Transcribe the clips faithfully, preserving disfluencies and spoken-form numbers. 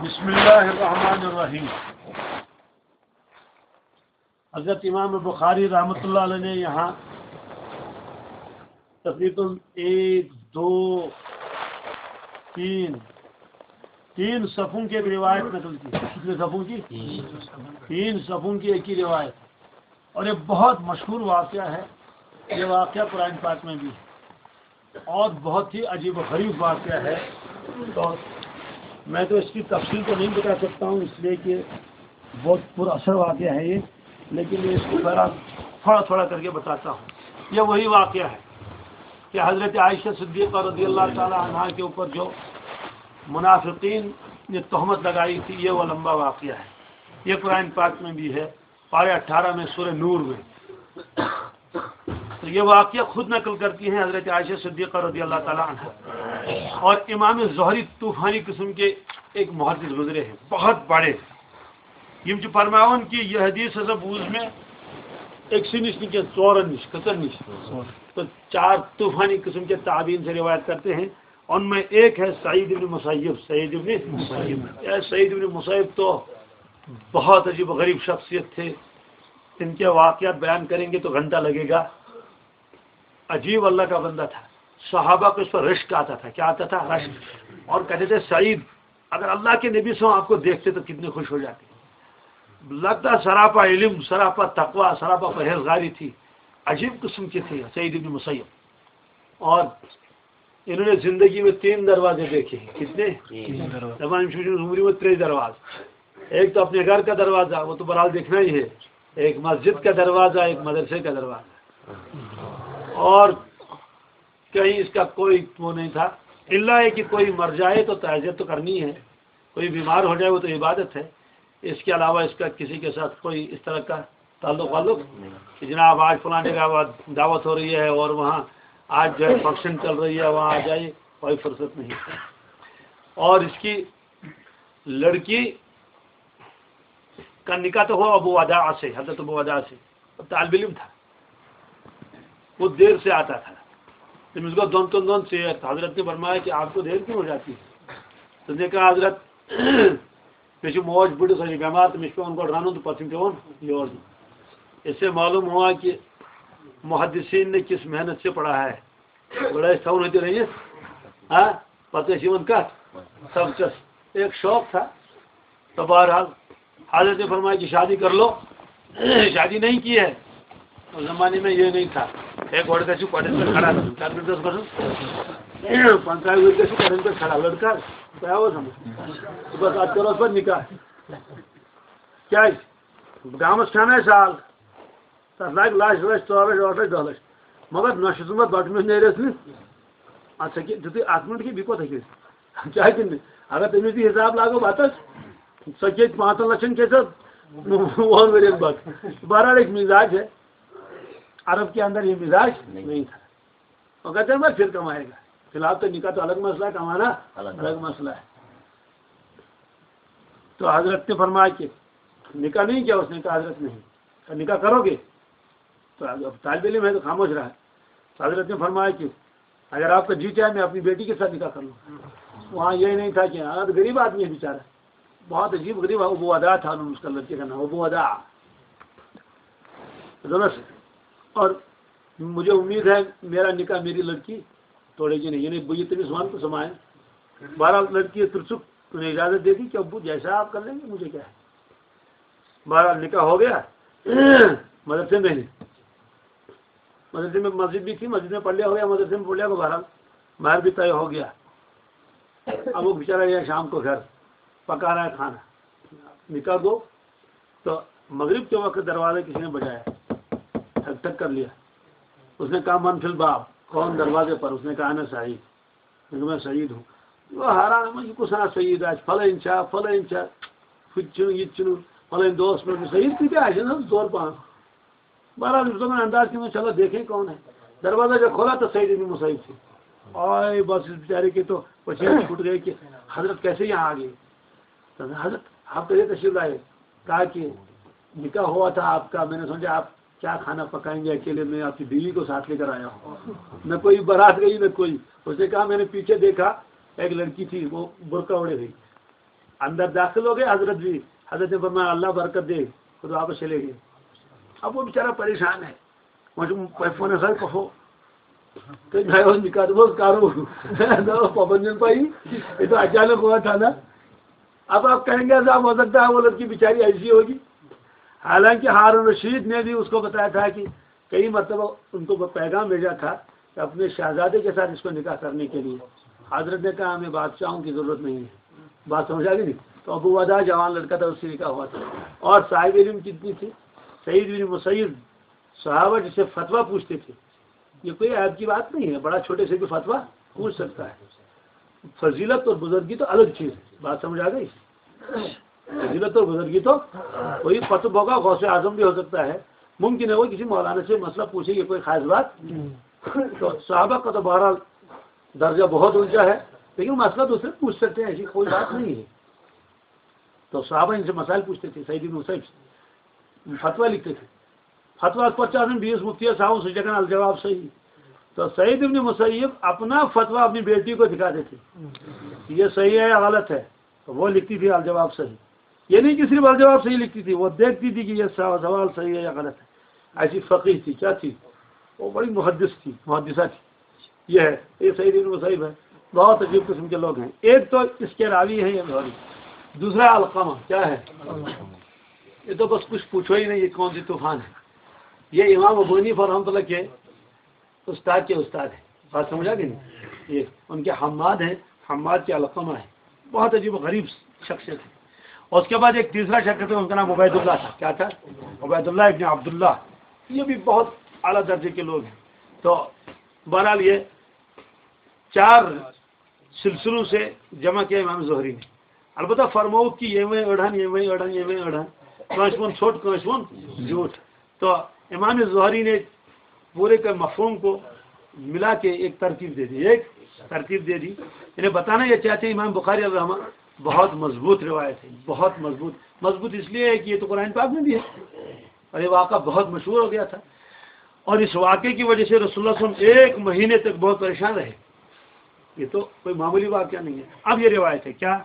بسم اللہ الرحمن الرحیم۔ حضرت امام بخاری رحمۃ اللہ علیہ نے یہاں تقریباً ایک، دو، تین، تین صفوں کی روایت نقل کی۔ کتنے صفوں کی؟ تین صفوں کی ایک ہی روایت۔ اور یہ بہت مشہور واقعہ ہے۔ یہ واقعہ قرآن پاک میں بھی ہے اور بہت ہی عجیب و غریب واقعہ ہے۔ تو میں تو اس کی تفصیل تو نہیں بتا سکتا ہوں، اس لیے کہ بہت پر اثر واقعہ ہے یہ، لیکن میں اس کو پہلا تھوڑا تھوڑا کر کے بتاتا ہوں۔ یہ وہی واقعہ ہے کہ حضرت عائشہ صدیقہ رضی اللہ تعالی عنہا کے اوپر جو منافقین نے تہمت لگائی تھی، یہ وہ لمبا واقعہ ہے۔ یہ قرآن پاک میں بھی ہے، پارے اٹھارہ میں، سورہ نور میں۔ تو یہ واقعہ خود نقل کرتی ہیں حضرت عائشہ صدیقہ رضی اللہ تعالی عنہا۔ اور امام زہری طوفانی قسم کے ایک محدث گزرے ہیں، بہت بڑے۔ یم چھ فرماوان کہ یہ حدیث ہسا بوز میں ایک سی نش نہ کینٛہہ، ژورن نش، کٔژن نش؟ تو چار طوفانی قسم کے تابعین سے روایت کرتے ہیں۔ ان میں ایک ہے سعید ابن مسیب۔ سعید ابن مسیب، یہ سعید ابن مسیب تو بہت عجیب و غریب شخصیت تھے۔ ان کے واقعات بیان کریں گے تو گھنٹہ لگے گا۔ عجیب اللہ کا بندہ تھا۔ صحابہ کو اس پر رشک آتا تھا۔ کیا آتا تھا؟ رشک۔ اور کہتے تھے، سعید، اگر اللہ کے نبی صلی اللہ علیہ وسلم آپ کو دیکھتے تو کتنے خوش ہو جاتے۔ لگتا سراپا علم، سراپا تقوی، سراپا پرہیزگاری تھی۔ عجیب قسم کی تھی سعید ابن مسیب۔ اور انہوں نے زندگی میں تین دروازے دیکھے ہیں۔ کتنے؟ تین دروازے۔ دپان چھُ عمر میں ترٛےٚ دروازے۔ ایک تو اپنے گھر کا دروازہ، وہ تو بہرحال دیکھنا ہی ہے، ایک مسجد کا دروازہ، ایک مدرسے کا دروازہ۔ اور کہیں اس کا کوئی وہ نہیں تھا، الا یہ کہ کوئی مر جائے تو تعزیت تو کرنی ہے، کوئی بیمار ہو جائے وہ تو عبادت ہے۔ اس کے علاوہ اس کا کسی کے ساتھ کوئی اس طرح کا تعلق والق نہیں کہ جناب آج فلاں جگہ دعوت ہو رہی ہے اور وہاں آج جو ہے فنکشن چل رہی ہے، وہاں آ جائے، کوئی فرصت نہیں۔ اور اس کی لڑکی کا نکاح تو ہوا ابو وداع سے، حضرت ابو وداع سے، وہ طالب علم تھا، وہ دیر سے آتا تھا۔ تٔمِس گوٚو دۄن تہٕ دۄن ژیر، تو حضرت نے فرمایا کہ آپ کو دیر کیوں ہو جاتی ہے؟ تو نے کہا، حضرت، مےٚ چھِ موج بٕڈٕ، سۄ چھِ بٮ۪مار تہٕ مےٚ چھُ پٮ۪وان گۄڈٕ رَنُن تہٕ پَتہٕ چھُم پٮ۪وان یورٕ یُن۔ اس سے معلوم ہوا کہ محدثین نے کس محنت سے پڑھا ہے۔ گۄڈٕ ٲسۍ تھاوان ہوٚتہِ رٔنِتھ، ہاں، پَتہٕ ٲسۍ یِوان کَتھ؟ سبقَس۔ ایک شوق تھا۔ تو بہرحال، حضرت نے فرمایا کہ شادی کر لو۔ شادی نہیں کی ہے۔ اس زمانے میں یہ نہیں تھا۔ ایک گۄڈٕ گژھِ کۄٹھٮ۪ن پٮ۪ٹھ کھڑا گژھُن۔ کَتھ پٮ۪ٹھ گژھِ گژھُن؟ پنٛژاہ ؤری گژھِ کۄٹھٮ۪ن پٮ۪ٹھ کھڑا۔ لڑکا، تۄہہِ آوٕ سمجھ؟ صُبحَس اَتھ کَرو أسۍ پَتہٕ نِکاح۔ کیٛازِ؟ گامَس کھٮ۪ن اَسہِ سال۔ تَتھ لَگہِ لَچھ، لَچھ، ژور لَچھ، ٲٹھ لَچھ، دَہ لَچھ۔ مگر نۄشہِ سُنٛد ما بَٹہٕ میوٚنٛڈ نیرٮ۪س نہٕ۔ اَتھ سا کہِ، تیُتُے اَکھ مِنٹ کہِ، بیٚیہِ کوٗتاہ کھیٚیہِ؟ چاہے تہِ نہٕ۔ اگر تٔمِس تہِ حِساب لاگو بَتَس، سۄ کھیٚیہِ پانٛژَن لَچھَن کھیٚیہِ سۄ وُہَن ؤرِیَن بَتہٕ۔ بہرحال ایک مزاج ہے۔ عرب کے اندر یہ مزاج نہیں تھا۔ اور کہتے ہیں، "بس پھر کمائے گا۔" فی الحال تو نکاح تو الگ مسئلہ ہے، کمانا الگ۔ الگ مسئلہ ہے۔ تو حضرت نے فرمایا کہ نکاح نہیں کیا؟ اس نے کہا، "حضرت نہیں۔" کہا، "نکاح کرو گے؟" تو اب طالب علم ہے تو خاموش رہا۔ تو حضرت نے فرمایا کہ اگر آپ کا جی چاہے، میں اپنی بیٹی کے ساتھ نکاح کر لوں۔ وہاں یہ نہیں تھا کہ، اب غریب آدمی ہے بیچارہ، بہت عجیب غریب، ابو وداع تھا، اس کا لڑکے کا نام ابو وداع۔ درست۔ اور مجھے امید ہے میرا نکاح میری لڑکی توڑے گی نہیں، یعنی یہ تمہیں سامان کو سمائے۔ بہرحال لڑکی ہے پرسک، تو نے اجازت دے دی کہ ابو جیسا آپ کر لیں گے، مجھے کیا ہے۔ بہرحال نکاح ہو گیا، مدرسے میں ہی، مدرسے میں، مسجد بھی تھی، مسجد میں پڑھ لیا ہو گیا، مدرسے میں پڑھ لیا ہو، بہرحال مہر بھی طے ہو گیا۔ اب وہ بیچارہ گیا شام کو گھر، پکا رہا ہے کھانا۔ نکاح کو تو مغرب کے وقت دروازہ کسی نے بجایا، ٹھک ٹھک کر لیا۔ اس نے کہا، "من فی الباب؟" کون دروازے پر؟ اس نے کہا، "انا سعید۔" میں کہا، "میں سعید ہوں۔" وہ حیران ہے، میں کس طرح سعید آج، فلان چھ، فلان چھ، فلان دوست میں سعید کی کیا ہے نا، زور پان۔ بہرحال، اس دوران انداز کیا، چلو دیکھیں کون ہے۔ دروازہ جب کھولا تو سعید ابن مسیب تھے۔ آئے، بس اس بیچارے کے تو پسینے چھوٹ گئے کہ حضرت کیسے یہاں آ گئے۔ تو حضرت، آپ کیسے تشریف لائے؟ کہا کہ نکاح ہوا تھا آپ کا، میں نے سوچا آپ کیا کھانا پکائیں گے، اکیلے میں آپ کی بیوی کو ساتھ لے کر آیا ہوں، نہ کوئی بارات گئی نہ کوئی۔ اس نے کہا، میں نے پیچھے دیکھا، ایک لڑکی تھی، وہ برقع اوڑھے ہوئی۔ اندر داخل ہو گئے حضرت بھی۔ حضرت نے فرمایا، "اللہ برکت دے"، خود واپس چلے گئے۔ اب وہ بیچارہ پریشان ہے، وۄنۍ چھُ فونس سۭتۍ کۄہو۔ تہٕ مےٚ اوس نِکاح، دوٚپمَس، "کرو۔" مےٚ اوس پابندی پَیی، یہِ تو اچانک ہوا تھا نا۔ اب آپ کہیں گے، "صاحب، ہو سکتا ہے وہ لڑکی بیچاری ایسی ہوگی۔" حالانکہ ہارون رشید نے بھی اس کو بتایا تھا کہ کئی مرتبہ ان کو پیغام بھیجا تھا کہ اپنے شہزادے کے ساتھ اس کو نکاح کرنے کے لیے۔ حضرت نے کہا، "ہمیں بادشاہوں کی ضرورت نہیں ہے۔" بات سمجھ آ گئی نہیں؟ تو ابو ودا جوان لڑکا تھا، اس سے نکاح ہوا تھا۔ اور صاحب علم کتنی تھی؟ سعید بن مسیب، صحابہ جس سے فتویٰ پوچھتے تھے، یہ کوئی عیب کی بات نہیں ہے، بڑا چھوٹے سے بھی فتویٰ پوچھ سکتا ہے۔ فضیلت اور بزرگی تو الگ چیز ہے، بات سمجھ آ گئی؟ فضیلت اور بزرگی تو کوئی قطب ہوگا، غوث اعظم بھی ہو سکتا ہے، ممکن ہے وہ کسی مولانا سے مسئلہ پوچھے، یہ کوئی خاص بات نہیں۔ تو صحابہ کا تو بہرحال درجہ بہت اونچا ہے، لیکن مسئلہ دوسرے پوچھ سکتے ہیں، ایسی کوئی بات نہیں ہے۔ تو صحابہ ان سے مسائل پوچھتے تھے، سعید بن مسیب فتویٰ لکھتے تھے۔ فتویٰ پتہ چاہتے ہیں بیس مفتی صاحب سے جگہ الجواب صحیح۔ تو سعید ابن مسیب اپنا فتویٰ اپنی بیٹی کو دکھاتے تھے، یہ صحیح ہے یا غلط ہے، تو وہ لکھتی تھی الجواب صحیح۔ یہ نہیں کہ صرف الجواب صحیح لکھتی تھی، وہ دیکھتی تھی کہ یہ سوا-، سوال صحیح ہے یا غلط ہے۔ ایسی فقیہ تھی، کیا تھی؟ وہ بڑی محدث تھی، محدثہ تھی۔ یہ ہے، یہ سعید ابن مسیب ہے۔ بہت عجیب قسم کے لوگ ہیں۔ ایک تو اس کے راوی ہیں یہ زہری، دوسرا علقمہ۔ کیا ہے؟ یہ تو بس کچھ پوچھو ہی نہیں، یہ کون سی طوفان ہے۔ یہ امام ابو حنیفہ رحمۃ اللہ کے استاد کے استاد ہیں۔ بات سمجھا کہ نہیں؟ یہ ان کے حماد ہیں، حماد کے علقمہ ہیں۔ بہت عجیب و غریب شخصیت ہے۔ اور اس کے بعد ایک تیسرا شخص تھا، ان کا نام عبید اللہ تھا۔ کیا تھا؟ عبید اللہ ابن عبداللہ۔ یہ بھی بہت اعلیٰ درجے کے لوگ ہیں۔ تو بہرحال یہ چار سلسلوں سے جمع کیا امام زہری نے۔ البتہ فرمووُکھ کہ ییٚمہِ أڑہن، ییٚمہِ أڑہن، ییٚمہِ أڑہن، کٲنٛسہِ ووٚن ژھوٚٹ، کٲنٛسہِ ووٚن زیوٗٹھ۔ تو امام زہری نے پورے کے مفہوم کو ملا کے ایک ترتیب دے دی، ایک ترتیب دے دی۔ انہیں بتانا یہ چاہتے ہیں، امام بخاری الرحمہ بہت مضبوط روایت ہے، بہت مضبوط۔ مضبوط اس لیے ہے کہ یہ تو قرآن پاک میں بھی ہے اور یہ واقعہ بہت مشہور ہو گیا تھا، اور اس واقعے کی وجہ سے رسول اللہ صلی اللہ علیہ وسلم ایک مہینے تک بہت پریشان رہے۔ یہ تو کوئی معمولی واقعہ نہیں ہے۔ اب یہ روایت ہے کیا؟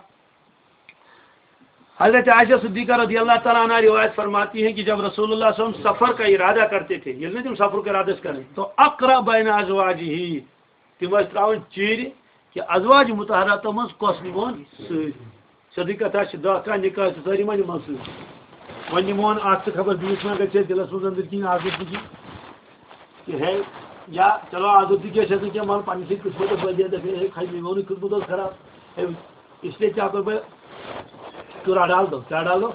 حضرت عائشہ صدیقہ رضی اللہ تعالیٰ عنہ روایت فرماتی ہیں کہ جب رسول اللہ صلی اللہ علیہ وسلم سفر کا ارادہ کرتے تھے، یعنی تم سفر کا ارادہ کریں، تو اقرا بین ازواجہ، تِم ٲسۍ ترٛاوان چیٖرِ کہِ ازواج مطہراتو منٛز کۄس نِمون سۭتۍ۔ سیوٚدُے کتھا چھِ، دَہ کانٛہہ نِکاح چھِ سٲری ما نِمون سۭتۍ۔ وۄنۍ نِمون اکھ تہٕ خبر بیٚیِس ما گژھِ اَسہِ دِلس منٛز أنٛدٕرۍ کِنۍ آزٲدگی کہِ ہے، یا چلو آزٲدگی چھَس نہٕ کینٛہہ، مگر پننہِ سۭتۍ کِتھ پٲٹھۍ ٲس وۄنۍ دِتھ، ہے، خۄش میون خدمت اوس خراب۔ ہے، اس لیے کیٛاہ کوٚر مےٚ، چُرا ڈال دو، کیٛاہ ڈال دو؟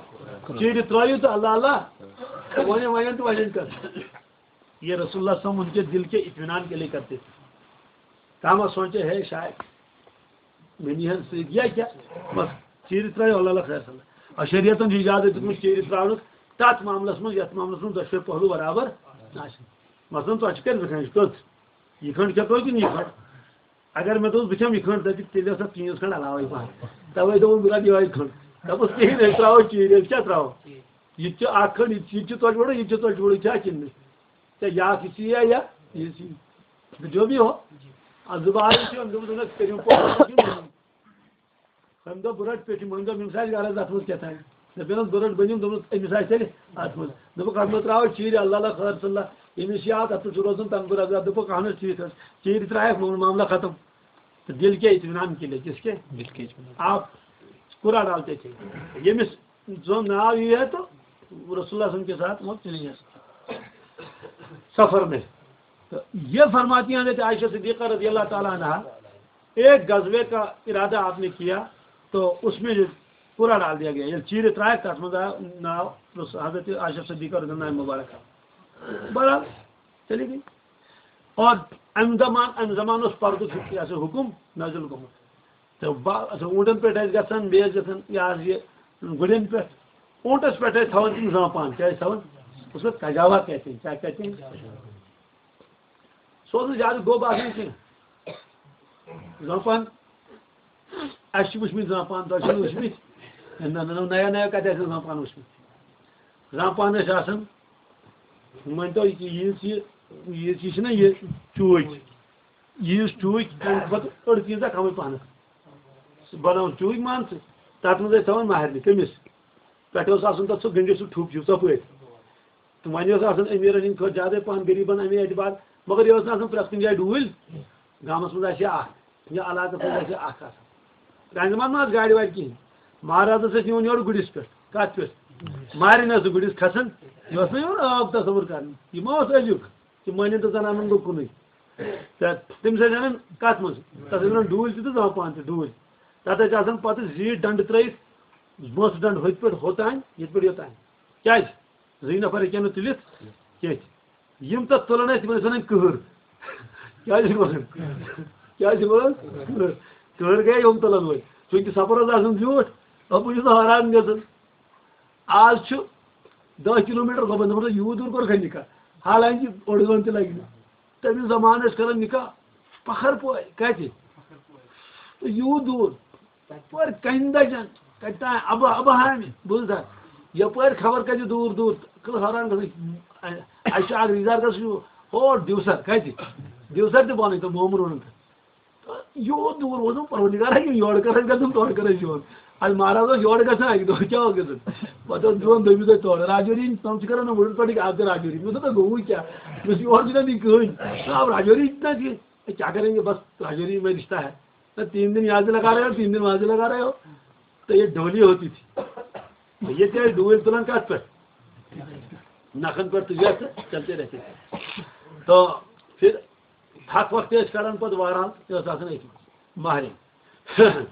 چیٖرِ ترٛٲیِو تہٕ اللہ اللہ، وۄنۍ وۄنۍ تہٕ وۄنۍ کر۔ یہ رسول اللہ صلی اللہ علیہ وسلم ان کے دل کے اطمینان کے لیے کرتے تھے۔ کانٛہہ ما سونچے ہے شاید مےٚ نِہَن سۭتۍ یا کیٛاہ؟ بس چیٖرِ ترٛٲیِو، اللہ اللہ خیر صلی اللہ۔ اور شریعتن چھُ اجازت دیُتمُت چیٖرِ ترٛاونُک تتھ معاملس منٛز، یتھ معاملس منٛز دۄشوے پہلو برابر آسن۔ مثلاً تۄہہِ چھِ کٔرِتھ کھنٛڈ کٔژ؟ یہِ کھنٛڈ کھٮ۪تو کِنہٕ یہِ کھنٛڈ؟ اگر مےٚ دوٚپُس بہٕ کھٮ۪مہٕ یہِ کھنٛڈ، دَپہِ تیٚلہِ ٲس اَتھ پیٖنٛژ کھنٛڈ علاوَے پَہَن۔ تَوَے دوٚپُن بہٕ رَٹہٕ یِہوٚے کھنٛڈ۔ دوٚپُس کِہیٖنۍ، أسۍ ترٛاوو چیٖرِ، أسۍ کیٛاہ ترٛاوو؟ یہِ تہِ چھُ اَکھ کھنٛڈ، یہِ تہِ، یہِ تہِ چھُ ژۄچہِ وَڑُن، یہِ تہِ چھُ ژۄچہِ وَڑُن، چھا کِنہٕ نہٕ؟ ژےٚ یا کِسی یا، یا یہِ سی۔ جو بھی ہو، اب زٕ بار چھِ أمۍ دوٚپمُت، دوٚپمَس، کٔرِو پوٚز، أمۍ دوٚپ، بہٕ رَٹہٕ پیٚٹھِم، وۄنۍ دوٚپ، أمِس آسہِ غرض اَتھ منٛز کیٛاہ تام۔ دوٚپُن، بہٕ رَٹہٕ بٔنِم، دوٚپمَس، أمِس آسہِ تیٚلہِ اَتھ منٛز۔ دوٚپُکھ، اَتھ منٛز ترٛاوو چیٖرِ، اللہ اللہ خٲر صلی اللہ، ییٚمِس یاد، اَتھ پٮ۪ٹھ چھُ روزُن تنگُر عذاب۔ دوٚپُکھ، اَہن حظ، ٹھیٖک حظ۔ چیٖرِ ترٛایَکھ، مۄکل معاملہ ختم۔ تو دل کے اطمینان کے لیے، کس کے؟ دل کے اطمینان۔ آپ قرعہ ڈالتے تھے، ییٚمِس زن ناو یی ہے تو رسول اللہ صلی اللہ علیہ وسلم کے ساتھ وہ چلیں گے سفر میں۔ تو یہ فرماتی ہیں حضرت عائشہ صدیقہ رضی اللہ تعالیٰ عنہا، ایک غزوے کا ارادہ آپ نے کیا تو اس میں قرعہ ڈال دیا گیا، یہ چیٖرِ ترٛایَکھ، تَتھ منٛز آو ناو رس-، حضرت عائشہ صدیقہ رضی اللہ عنہا مبارک۔ بہرحال، چلی گئی۔ اور امہِ زمان، امہِ زمان اوس پردُک یہِ ہسا حُکُم نٲزِل گوٚمُت۔ تہٕ با-، اچھا، اوٗنٹن پٮ۪ٹھ ٲسۍ گژھان، بیٚیہِ ٲسۍ گژھان، یہِ حظ یہِ گُرٮ۪ن پٮ۪ٹھ۔ اوٗنٹس پٮ۪ٹھ ٲسۍ تھاوان تِم زٲمپان، کیٛاہ ٲسۍ تھاوان؟ اس کو کجاوا کہتے ہیں، کیا کہتے ہیں؟ سُہ اوس نہٕ زیادٕ گوٚب آسان کینٛہہ۔ زٲمپان، اَسہِ چھِ وٕچھمٕتۍ زٲمپان، تۄہہِ چھِو نہٕ وٕچھمٕتۍ؟ نہ، نہ، نہ، نیا نیا کَتہِ آسہِ زٲمپان وٕچھمٕتۍ؟ زٲمپان ٲسۍ آسان، مٲنۍ تو، یہِ، یہِ، یہِ، یہِ چھِنہ یہِ چوٗکۍ، یہِ یُس چوٗکۍ، تَمہِ کھۄتہٕ أڑ پیٖنٛژاہ کَمٕے پَہنَتھ۔ سُہ بَناوُن چوٗکۍ، مان ژٕ، تَتھ منٛز ٲسۍ تھاوان مہرنہِ۔ کٔمِس؟ پٮ۪ٹھٕ اوس آسان تَتھ سُہ گٔنٛڈِتھ سُہ ٹھُپ ہیوٗ ژۄپٲرۍ۔ تہٕ وۄنۍ اوس آسان أمیٖرَن ہِنٛدۍ کھۄتہٕ زیادَے پَہَن غریٖبَن اَمے اعتبار، مگر یہِ ٲس نہٕ آسان پرٛٮ۪تھ کُنہِ جایہِ ڈوٗلۍ۔ گامَس منٛز آسہِ ہا اَکھ یا علاقَس منٛز آسہِ ہا اَکھ آسان۔ پرٛانہِ زمانہٕ ما ٲس گاڑِ واڑِ کِہیٖنۍ۔ مہرازَس ٲسۍ نِوان یورٕ گُرِس پٮ۪ٹھ۔ کَتھ پٮ۪ٹھ؟ مہرِنۍ ٲس نہٕ گُرِس کھسان، یہِ اوس نہٕ یِوان عٲب تصوُر کَرنہٕ۔ یہِ ما اوس أزیُک؟ یہِ مٲنِن تہٕ زَنانَن گوٚو کُنُے۔ تہٕ تٔمِس ٲسۍ اَنان کَتھ منٛز؟ تَتھ ٲسۍ وَنان ڈوٗلۍ تہِ تہٕ زامہٕ پان تہِ ڈوٗلۍ۔ تَتھ ٲسۍ آسان پَتہٕ زیٖٹھ ڈَنٛڈٕ ترٛٲیِتھ، بٲنٛسہٕ ڈَنٛڈٕ ہوٚتہِ پٮ۪ٹھ ہوٚتام، ییٚتہِ پٮ۪ٹھ یوٚتام۔ کیٛازِ؟ زٕے نفر ہیٚکن نہٕ تُلِتھ کینٛہہ۔ یِم تَتھ تُلان ٲسۍ، تِمن ٲسۍ وَنان کٕہٕر۔ کیٛازِ چھِ وَنان؟ کیٛازِ چھِ وَنان؟ کٕہٕر۔ کٕہٕر گٔے یِم تُلن وٲلۍ۔ چوٗنٛکہِ سفر اوس آسان زیوٗٹھ، اَپٲرۍ چھُ سُہ حٲران گژھان۔ آز چھُ دَہ کِلوٗ میٖٹر گۄبَن، دوٚپُن، یوٗت دوٗر کوٚر کھَنہِ نِکاح، حالانکہِ اوٚڑ گٲنٛٹہٕ تہِ لَگہِ نہٕ۔ تٔمِس زمانہٕ ٲسۍ کران نِکاح پَہر پورِ۔ کَتہِ؟ تہٕ یوٗت دوٗر۔ تَپٲرۍ کَنہِ دَجَن، کَتہِ تام اَبہٕ، اَبہٕ ہامہِ، بوٗز تھا؟ یَپٲرۍ خبر کَتہِ دوٗر دوٗر، کٔر حٲران گژھان۔ اَسہِ چھُ اَکھ رِشتہٕ دار گژھان چھُ ہور دیوسَر، کَتہِ؟ دیوسَر تہِ بَنٕے تہٕ مومہٕ روٚنُن تہٕ۔ تہٕ یوٗت دوٗر اوس نہٕ پروردگار ہا کِنہٕ یورٕ کَرٕ أسۍ گژھُن، تورٕ کَرٕ أسۍ یُن۔ اَسہِ مہراز اوس یورٕ گژھان اَکہِ دۄہ، کیٛاہ اوس گژھان؟ پَتہٕ اوس دِوان دوٚیمہِ دۄہہِ تورٕ۔ راجوری، تِم چھِ کَران وُڈٕر پٮ۪ٹھٕے آب تہِ راجوری۔ مےٚ دوٚپ، تۄہہِ گوٚوُے کیٛاہ؟ مےٚ چھُ یورٕ چھُنہٕ یہِ کٕہٕنۍ۔ آب راجوری چھِنہٕ اَتہِ۔ کیا کریں گے، بس راجوری میں رشتہ ہے، نہ تین دن یہاں سے لگا رہے ہو، تین دن وہاں سے لگا رہے ہو۔ تو یہ ڈولی ہوتی تھی۔ تو یہ کیا ڈولی تلان کت پر؟ نخن پر تجھے چلتے رہتے تھے۔ تو پھر حق وقت ٲسۍ کران پتہٕ واران، یہِ ٲس آسان أتھۍ منٛز مہرِنۍ۔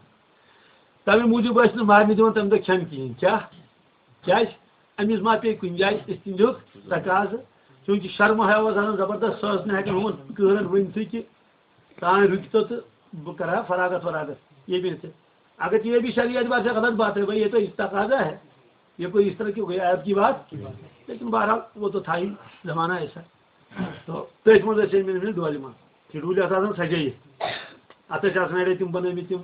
تَمہِ موٗجوٗب ٲسۍ نہٕ مہرنہِ دِوان تَمہِ دۄہ کھٮ۪ن کِہیٖنۍ۔ کیٛاہ؟ کیٛازِ؟ أمِس ما پیٚیہِ کُنہِ جایہِ أسۍ تِہِنٛدیُک تقاضہٕ؟ چوٗنٛکہِ شرمہٕ حیا اوس آسان زبردست، سۄ ٲس نہٕ ہٮ۪کان ہُمَن کٕہرَن ؤنِتھٕے کہِ تانۍ رُکہِ تہٕ بہٕ کَرٕ ہا فراغت وراغت ییٚمہِ تہِ۔ اگر ژےٚ یہِ بی شریعت اعتبار سے غلط بات ہے بھائی، یہ تو اس تقاضا ہے، یہ کوئی اس طرح کی کوئی عیب کی بات، لیکن بہرحال وہ تو تھا ہی، زمانہ ایسا۔ تو تٔتھۍ منٛز ٲسۍ أمۍ أنۍ مٕتۍ ڈولہِ منٛز۔ یہِ ڈوٗلۍ آسہٕ آسان سجٲیِتھ۔ اَتھ ٲسۍ آسان اَڑے تِم بَنٲومٕتۍ تِم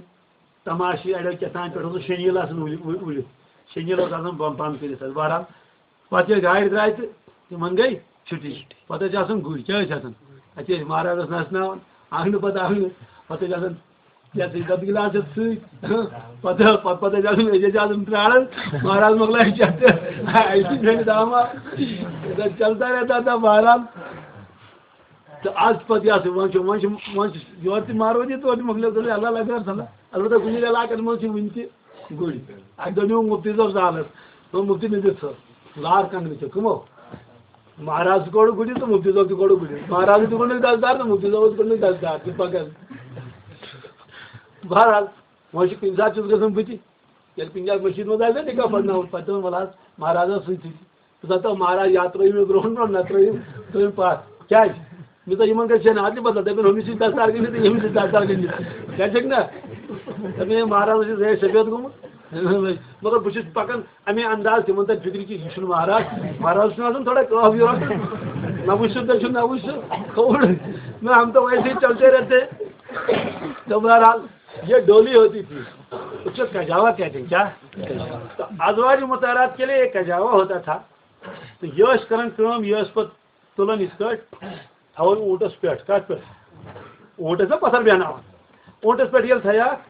تماشہٕ، اَڑے کیٛاہ تام پٮ۪ٹھ اوس شٔنیٖل آسان وُلہِ-، وُلہِ-، وُلِتھ۔ شٔنیٖل اوس آسان بۄن-، بۄن کٔرِتھ حظ۔ بہرحال، پَتہٕ ییٚلہِ گاڑِ درٛاے تہٕ تِمَن گٔے چھُٹی۔ پَتہٕ ٲسۍ آسان گُرۍ، کیٛاہ ٲسۍ آسان؟ اَتہِ ٲسۍ مہراز ٲس نَژناوان، آنٛگنہٕ پَتہٕ آنٛگنہٕ۔ پَتہٕ ٲسۍ آسان، یَتھ ٲسۍ دَتہٕ گِلاس ہٮ۪تھ سۭتۍ۔ پَتہٕ، پَتہٕ، پَتہٕ ٲسۍ آسان، أسۍ ٲسۍ آسان پرٛاران، مہراز مۄکلایہِ چٮ۪تھ تہٕ اَسہِ چھِ بیٚیہِ داما۔ اِدھر چلتا رہتا تھا بہرحال۔ تہٕ آز پَتہٕ یہِ ہسا وۄنۍ چھُ، وۄنۍ چھُ، وۄنۍ چھُ یورٕ تہِ مارو دِتھ، تورٕ تہِ مۄکلیو، دوٚپُن، اللہ لگہِ ہر صلاح۔ البتہ کُنہِ علاقَس منٛز چھِ وٕنہِ تہِ گُرۍ۔ اَسہِ دوٚپ، نیوٗ مُفتی صٲب زالَس۔ دوٚپُن، مُفتی مےٚ دِژ ژھٔپ۔ لار کنٛگنہٕ چھِ کٕمو؟ مہراز تہِ کوٚڑُکھ گُرِس تہٕ مُفتی صٲب تہِ کوٚڑُکھ گُرِس۔ مہراز تہِ کوٚڑُکھ دَستار تہٕ مُفتی صٲبَس تہِ کوٚڑُکھ دَستار۔ تہِ پَکان۔ بہرحال، وۄنۍ چھُ کُنہِ ساتہٕ چھُس گژھان بہٕ تہِ۔ ییٚلہِ کُنہِ جایہِ مٔشیٖد منٛز آسہِ نا نِکاح پَرناوُن، پَتہٕ دِوان وَلہٕ حظ مہرازَس سۭتۍ۔ بہٕ دَپہٕ تَو، مہراز، یا ترٛٲیِو مےٚ برونٛٹھ برونٛٹھ، نہ ترٛٲیِو تُہۍ پَتھ۔ کیٛازِ؟ مےٚ دوٚپ، یِمَن گژھِ ہے نہٕ اَدلہِ بدل، دَپن، ہُمِس چھِ دَستار گٔنٛڈِتھ تہٕ ییٚمِس چھِ دَستار گٔنٛڈِتھ۔ کیٛازِ چھَکھ نہ؟ دَپان، ہے، مہراز چھُ زٲہِد سفید گوٚمُت۔ مگر بہٕ چھُس پَکان اَمے انداز، تِمَن تَرِ فِکرِ کہِ یہِ چھُنہٕ مہراز۔ مہراز چھُنہٕ آسان تھوڑا کٲف یورٕ۔ نہ وٕچھ سُہ، نہ چھُ، نہ وٕچھ سُہ۔ کھووُر۔ میں، ہم تو ویسے ہی چلتے رہتے۔ تو بہرحال، یہ ڈولی ہوتی تھی، اس کو کجاوا کہتے ہیں، کیا؟ تو ازواج مطہرات کے لیے ایک کجاوا ہوتا تھا۔ تو یہ ٲسۍ کران کٲم، یہِ ٲسۍ پتہٕ تُلان یِتھ کٲٹھۍ، تھاوان اوٗنٹس پٮ۪ٹھ۔ کتھ پٮ۪ٹھ؟ اوٗنٹس نا پتھر بیہناوان۔ اوٗنٹس پٮ۪ٹھ ییٚلہِ تھایاکھ،